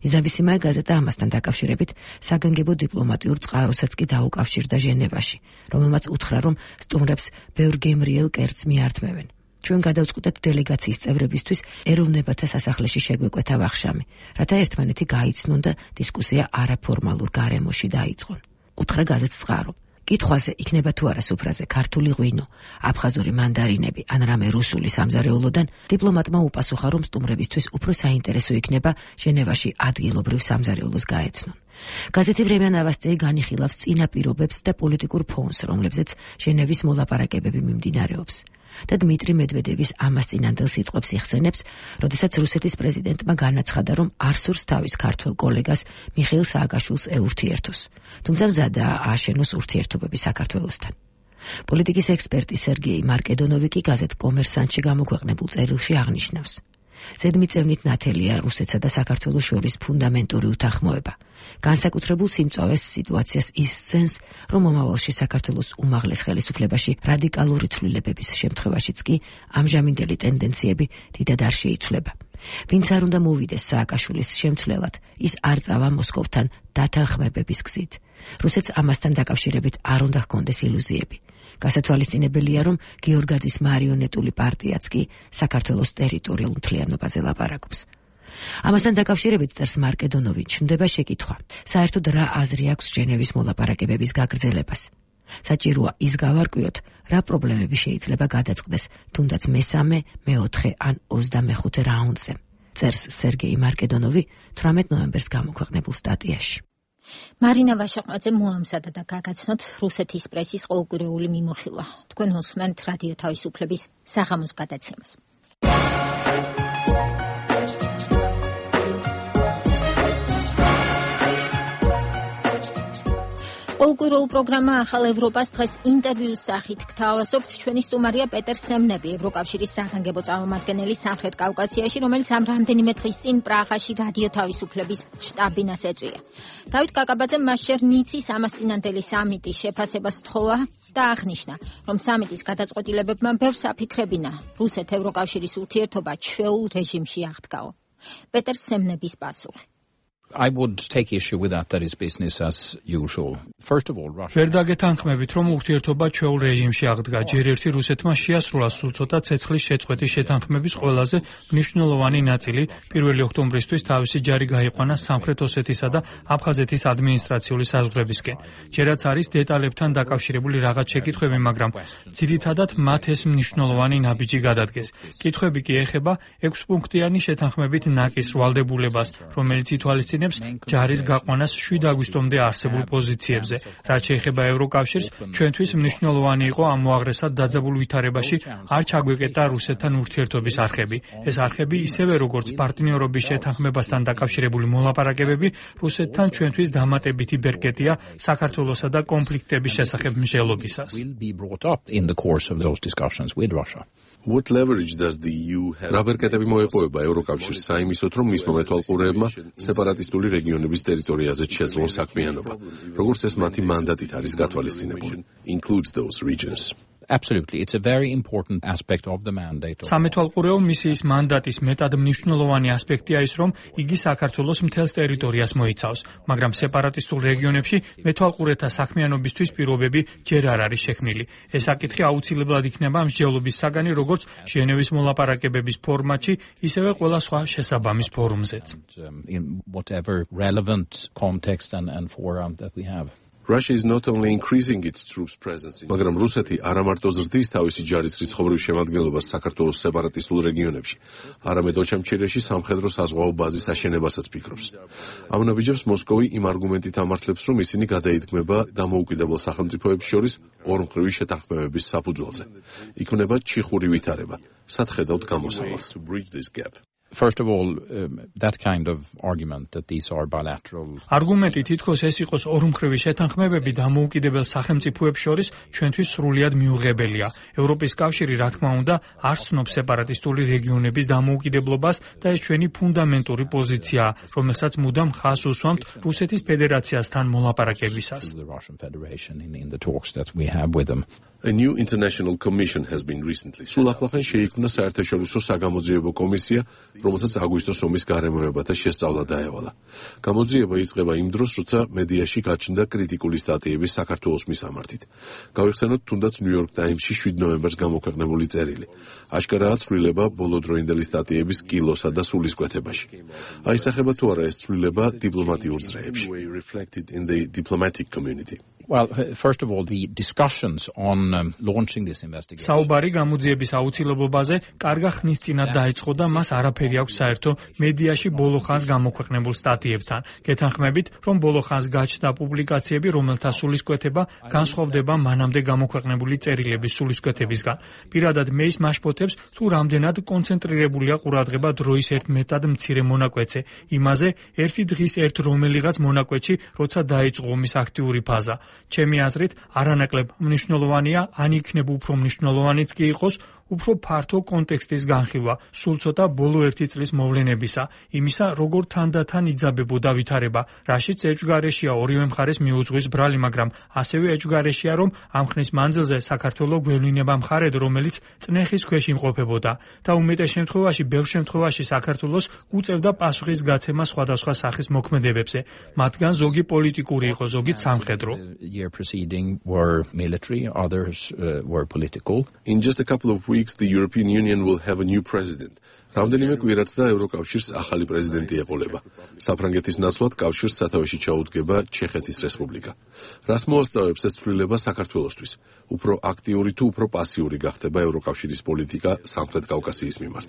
ნიზავისიმაია გაზეტა ამასთან დაკავშირებით საგანგებო დიპლომატიურ წყაროსაც კი დაუკავშირდა ჟენევაში, რომელმაც უთხრა, რომ სტუმრებს ბევრ გემრიელ კერძს მიართმევენ. ჩვენ გადავწყვიტეთ დელეგაციის წევრებისთვის ეროვნებათა სასახლეში შეგვეკვეთა ვახშამი, რათა ერთმანეთი გაიცნონ და დისკუსია არაფორმალურ გარემოში დაიწყონ. უთხრა გაზეთს წყარო. კითხვაზე იქნება თუ არა სუფრაზე ქართული ღვინო, აფხაზური მანდარინები ან რამე რუსული სამზარეულოდან, დიპლომატმა უპასუხა, რომ სტუმრებისთვის უფრო საინტერესო იქნება ჟენევაში ადგილობრივ სამზარეულოს გაეცნონ. გაზეთი „ვრემია ნოვოსტიი“ განიხილავს წინა პირობებს და პოლიტიკურ ფონს, რომლებზეც ჟენევის მოლაპარაკებები მიმდინარეობს. და დმიტრი მედვედევის ამას წინანდელ სიტყვებს იხსენებს, როდესაც რუსეთის პრეზიდენტმა განაცხადა, რომ არ სურს თავის ქართველ კოლეგას მიხეილ სააკაშვილს ეურთიერთოს, თუმცა მზადაა ააშენოს ურთიერთობები საქართველოსთან. პოლიტიკის ექსპერტი სერგეი მარკედონოვი კი გაზეთ კომერსანტში გამოქვეყნებულ წერილში აღნიშნავს. ზედმიწევნით ნათელია რუსეთსა და საქართველოს შორის ფუნდამენტური უთანხმოება. განსაკუთრებულ სიმწვავეს სიტუაციას ისცენს, რომ მომავალში საქართველოს უმაღლეს ხელისუფლებაში რადიკალური ცვლილებების შემთხვევაშიც კი ამჟამინდელი ტენდენციები დიდად არ შეიცვლება. ვინც არ უნდა მოვიდეს სააკაშვილის შემცვლელად, ის არ წავა მოსკოვთან დათანხმებების გზით. რუსეთს ამასთან დაკავშირებით არ უნდა ჰქონდეს ილუზიები. გასათვალისწინებელია, რომ გიორგაძის მარიონეტული პარტიაც კი საქართველოს ტერიტორიულ მთლიანობაზე ლაპარაკობს. ამასთან დაკავშირებით წერს მარკედონოვი, ჩნდება შეკითხვა, საერთოდ რა აზრი აქვს ჟენევის მოლაპარაკებების გაგრძელებას. საჭიროა ის გავარკვიოთ, რა პრობლემები შეიძლება გადაწყდეს თუნდაც მესამე, მეოთხე ან 25 რაუნდზე, წერს სერგეი მარკედონოვი 18 ნოემბერს გამოქვეყნებულ სტატიაში.
მარინა ვაშაყმაძე მოამზადა და გაგაცნოთ რუსეთის პრესის ყოველკვირეული მიმოხილვა. თქვენ უსმენთ რადიო თავისუფლების საღამოს გადაცემას. ყოველკვირეულ პროგრამა ახალ ევროპას დღეს ინტერვიუს სახით გთავაზობთ. ჩვენი სტუმარია პეტერ სემნები, ევროკავშირის საგანგებო წარმომადგენელი სამხრეთ კავკასიაში, რომელიც ამ რამდენიმე დღის წინ პრაღაში რადიო თავისუფლების შტაბ-ბინას ეწვია. დავით კაკაბაძემ მასშერ ნიცის ამასწინანდელი სამიტის შეფასებას თხოვა და აღნიშნა, რომ სამიტის გადაწყვეტილებებმა ბევრს აფიქრებინა რუსეთ-ევროკავშირის ურთიერთობა ჩვეულ რეჟიმში აღდგაო. პეტერ სემნების პასუხი.
I would take issue with that is business as usual. First of all, Russia.
ვერ დაგეთანხმებით, რომ ურთიერთობა ჩვეულ რეჟიმში აღდგა. ჯერ ერთი რუსეთმა შეასრულა სულ ცოტა ცეცხლის შეწყვეტის შეთანხმების ყველაზე მნიშვნელოვანი ნაწილი 1 ოქტომბრისთვის თავისი ჯარი გაიყვანა სამხრეთ ოსეთისა და აფხაზეთის ადმინისტრაციული საზღვრებისკენ. ჯერაც არის დეტალებთან დაკავშირებული რაღაც შეკითხვები, მაგრამ ძირითადად მათ ეს მნიშვნელოვანი ნაბიჯი გადადგეს. კითხვები კი ეხება 6 პუნქტიანი შეთანხმებით ნაკის ვალდებულებას, რომელიც ითვალისწინებს ჯარის გაყვანას 7 აგვისტომდე არსებულ პოზიციებზე. რაც შეეხება ევროკავშირს, ჩვენთვის მნიშვნელოვანი იყო ამ მოაღრესად დაძაბულ ვითარებაში არ ჩაგვეკეტა რუსეთთან ურთიერთობის არხები. ეს არხები ისევე როგორც პარტნიორობის შეთანხმებასთან დაკავშირებული მოლაპარაკებები რუსეთთან ჩვენთვის დამატებითი ბერკეტია საქართველოსა და კონფლიქტების შესახებ მსჯელობისას.
What leverage does the EU have? რა ბერკეტები მოეპოვება ევროკავშირს საიმისოდ, რომ მისმა მეთვალყურეებმა სეპარატისტულ
სეპარატისტული რეგიონების ტერიტორიაზეც შეძლონ საქმიანობა, როგორც ეს მათი მანდატით არის გათვალისწინებული. Includes those regions.
Absolutely, it's a very important aspect of the mandate.
სამეთვალყურეო მისიის მანდატის მეტად მნიშვნელოვანი ასპექტია ის, რომ იგი საქართველოს მთელს ტერიტორიას მოიცავს, მაგრამ სეპარატისტულ რეგიონებში მეთვალყურეთა საქმიანობისთვის პირობები ჯერ არ არის შექმნილი. ეს საკითხი აუცილებლად იქნება მსჯელობის საგანი როგორც ჟენევის მოლაპარაკებების ფორმატში, ისევე ყველა სხვა შესაბამის ფორუმზეც.
In whatever relevant context and forum that we have.
Russia is not only increasing its troops presence in მაგრამ რუსეთი არა მარტო ზრდის თავისი ჯარის რიცხობრივ შემადგენლობას საქართველოს სეპარატისტულ რეგიონებში, არამედ ოჩამჩირეში სამხედრო საზღვაო ბაზის აშენებასაც ფიქრობს. ამ ნაბიჯებს მოსკოვი იმ არგუმენტით ამართლებს, რომ ისინი გადაიდგმება დამოუკიდებელ სახელმწიფოებს შორის ორმხრივი შეთანხმებების საფუძველზე. იქმნება ჩიხური ვითარება. სად ხედავთ გამოსავალს?
First of all, that kind of argument that these are bilateral.
Argumenti თითქოს ეს იყოს ორმხრივი შეთანხმებები დამოუკიდებელ სახელმწიფოებს შორის ჩვენთვის სრულიად მიუღებელია. ევროპის კავშირი, რა თქმა უნდა, არ ცნობს სეპარატისტული რეგიონების დამოუკიდებლობას და ეს ჩვენი ფუნდამენტური პოზიციაა, რომელსაც მუდამ ხაზს უსვამთ რუსეთის ფედერაციასთან მოლაპარაკებისას.
A new international commission has been recently. სულ ახლახან შეიქმნა საერთაშორისო საგამოძიებო კომისია, რომელსაც აგვისტოს ომის გარემოებათა შესწავლა დაევალა. გამოძიება იწყება იმ დროს, როცა მედიაში გაჩნდა კრიტიკული სტატიები საქართველოს მისამართით. გავიხსენოთ თუნდაც New York Times-ში 7 ნოემბერს გამოქვეყნებული წერილი. აშკარაა ცვლილება ბოლოდროინდელი სტატიების კილოსა და სულისკვეთებაში. აისახება თუ არა ეს ცვლილება დიპლომატიურ წრეებში.
Well, first of all, the discussions on launching this investigation.
საუბარი გამოძიების აუცილებლობაზე კარგა ხნის წინათ დაიწყო და მას არაფერი აქვს საერთო მედიაში ბოლო ხანს გამოქვეყნებულ სტატიებთან. გეთანხმებით, რომ ბოლო ხანს გაჩნდა პუბლიკაციები, რომელთა სულისკვეთება განსხვავდება მანამდე გამოქვეყნებული წერილების სულისკვეთებისგან. პირადად მე ის მაშფოთებს, თუ რამდენად კონცენტრირებულია ყურადღება დროის ერთ მეტად მცირე მონაკვეთზე, იმაზე ერთი დღის ერთ რომელიღაც მონაკვეთში, როცა დაიწყო ომის აქტიური ფაზა. ჩემი აზრით, არანაკლებ მნიშვნელოვანია, ან იქნება უფრო მნიშვნელოვანიც კი იყოს, უფრო ფართო კონტექსტის განხილვა, სულ ცოტა ბოლო ერთი წლის მოვლენებისა, იმისა, როგორ თანდათან იძაბებოდა ვითარება, რაშიც ეჭვგარეშია ორივე მხარეს მიუძღვის ბრალი, მაგრამ ასევე ეჭვგარეშია, რომ ამ ხნის მანძილზე საქართველოს გვევლინება მხარედ, რომელიც წნეხის ქვეშ იმყოფებოდა და უმეტეს შემთხვევაში, ბევრ შემთხვევაში საქართველოს უწევდა პასუხის გაცემა სხვადასხვა სახის მოქმედებებზე, მათგან ზოგი პოლიტიკური იყო, ზოგი სამხედრო.
Year preceding were military, others were political.
In just a couple of weeks, the European Union will have a new president. რამდენიმე კვირაც და ევროკავშირს ახალი პრეზიდენტი ეყოლება. საფრანგეთის ნაცვლად კავშირს სათავეში ჩაუდგება ჩეხეთის რესპუბლიკა. რას მოასწავებს ეს ცვლილება საქართველოსთვის? უფრო აქტიური თუ უფრო პასიური გახდება ევროკავშირის პოლიტიკა სამხრეთ კავკასიის მიმართ.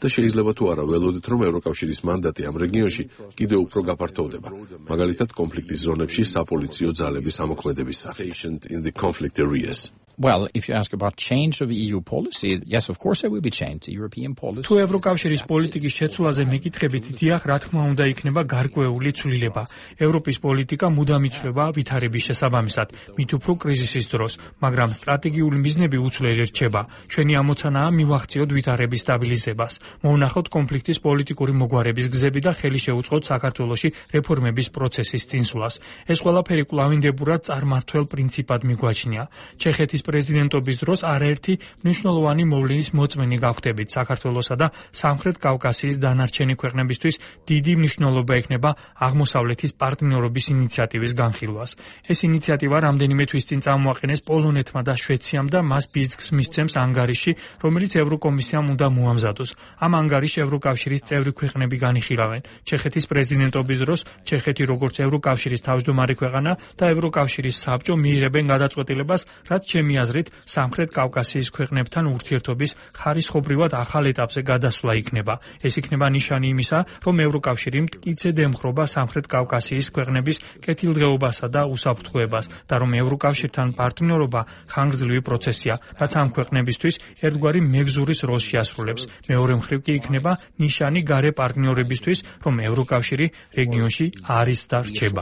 და შეიძლება თუ არა ველოდეთ, რომ ევროკავშირის მანდატი ამ რეგიონში კიდევ უფრო გაფართოვდება. მაგალითად, კონფლიქტის ზონებში საპოლიციო ძალების ამოქმედების სახით. In the conflict areas.
Well, if you ask about change of EU policy, yes, of course there will be change. The European policy.
თუ ევროკავშირის პოლიტიკის შეცვლაზე მეკითხებით, დიახ, რა თქმა უნდა, იქნება გარკვეული ცვლილება. ევროპის პოლიტიკა მუდამ იცვლება ვითარების შესაბამისად, მით უფრო კრიზისის დროს, მაგრამ სტრატეგიული მიზნები უცვლელი რჩება. ჩვენი ამოცანაა მივახციოთ ვითარების სტაბილიზებას, მოვნახოთ კონფლიქტის პოლიტიკური მოგვარების გზები და ხელი შეუწყოთ საქართველოში რეფორმების პროცესის წინსვლას. ეს ყველაფერი კვლავინდებურად წარმართველ პრინციპად მიგვაჩნია. ჩეხეთის პრეზიდენტობის დროს არაერთი მნიშვნელოვანი მოვლენის მოწმენი გავხდებით საქართველოსა და სამხრეთ კავკასიის დანარჩენი ქვეყნებისთვის დიდი მნიშვნელობა ექნება აღმოსავლეთის პარტნიორობის ინიციატივის განხილვას. ეს ინიციატივა რამდენიმე თვის წინ წამოაყენეს პოლონეთმა და შვეციამ და მას ბიძგს მისცემს ანგარიში, რომელიც ევროკომისიამ უნდა მოამზადოს. ამ ანგარიშს ევროკავშირის წევრი ქვეყნები განიხილავენ. ჩეხეთის პრეზიდენტობის დროს ჩეხეთი როგორც ევროკავშირის თავმჯდომარე ქვეყანა და ევროკავშირის საბჭო მიიღებენ გადაწყვეტილებას, რაც ჩემი აზრით, სამხრეთ კავკასიის ქვეყნებთან ურთიერთობის ხარისხობრივად ახალ ეტაპზე გადასვლა იქნება. ეს იქნება ნიშანი იმისა, რომ ევროკავშირი მტკიცედ ემხრობა სამხრეთ კავკასიის ქვეყნების კეთილდღეობასა და უსაფრთხოებას და რომ ევროკავშირთან პარტნიორობა ხანგრძლივი პროცესია, რაც ამ ქვეყნებისთვის ერთგვარი მეგზურის როლს შეასრულებს. მეორე მხრივ კი იქნება ნიშანი გარე პარტნიორებისთვის, რომ ევროკავშირი რეგიონში არის და რჩება.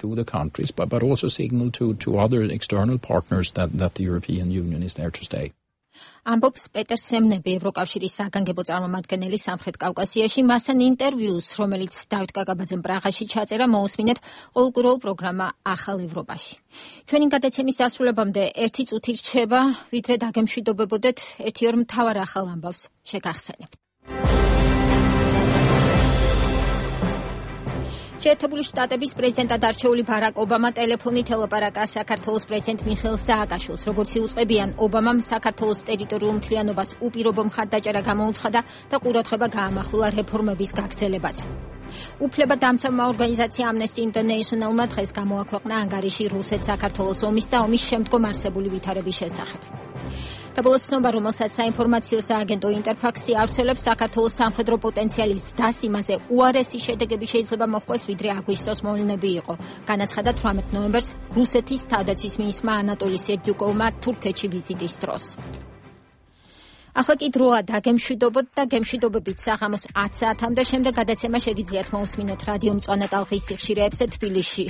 To the countries, but also signal to other external partners that the European Union is there to stay.
ამბობს პეტერ სემნები, ევროკავშირის საგანგებო წარმომადგენელი სამხრეთ კავკასიაში. მასთან ინტერვიუს, რომელიც დავით კაკაბაძემ პრაღაში ჩაწერა, მოусმინეთ ყოველკვირეულ პროგრამა ახალ ევროპაში. ჩვენი გადაცემის დასრულებამდე 1 წუთი რჩება, ვიდრე დაგემშვიდობებოდეთ, 1-2 მთავარ ახალ ამბავს შეგახსენებთ. შეერთებული შტატების პრეზიდენტად არჩეული ბარაკ ობამა ტელეფონით ელაპარაკა საქართველოს პრეზიდენტ მიხეილ სააკაშვილს. როგორც იუწყებიან, ობამამ საქართველოს ტერიტორიულ მთლიანობას უპირობო მხარდაჭერა გამოუცხადა და ყურადღება გაამახვილა რეფორმების გაგრძელებაზე. უფლებადამცავმა ორგანიზაცია Amnesty International-მა დღეს გამოაქვეყნა ანგარიში რუსეთ-საქართველოს ომის და ომის შემდგომ არსებული ვითარების შესახებ. საბოლოო ცნობა, რომელსაც საინფორმაციო სააგენტო ინტერფაქსი ავრცელებს, საქართველოს სამხედრო პოტენციალის ზრდას იმაზე უარესი შედეგები შეიძლება მოჰყვეს, ვიდრე აგვისტოს მოვლენები იყო. განაცხადა 18 ნოემბერს რუსეთის თავდაცვის მინისტრმა ანატოლი სერდიუკოვმა თურქეთში ვიზიტის დროს. ახლა კი დროა დაგემშვიდობოთ და გემშვიდობებით საღამოს 10 საათამდე. შემდეგ გადაცემა შეგიძლიათ მოусმინოთ რადიო მწვანე ტალღის სიხშირეებზე თბილისში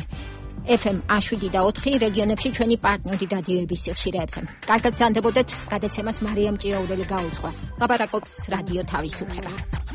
FM 7 და 4 რეგიონებში ჩვენი პარტნიორი რადიოების სიხშირეებზე. კარგად გრძანდებოდეთ, გადაცემას მარიამ ჭიაურელი გაუძღვა. ლაპარაკობს რადიო თავისუფლება.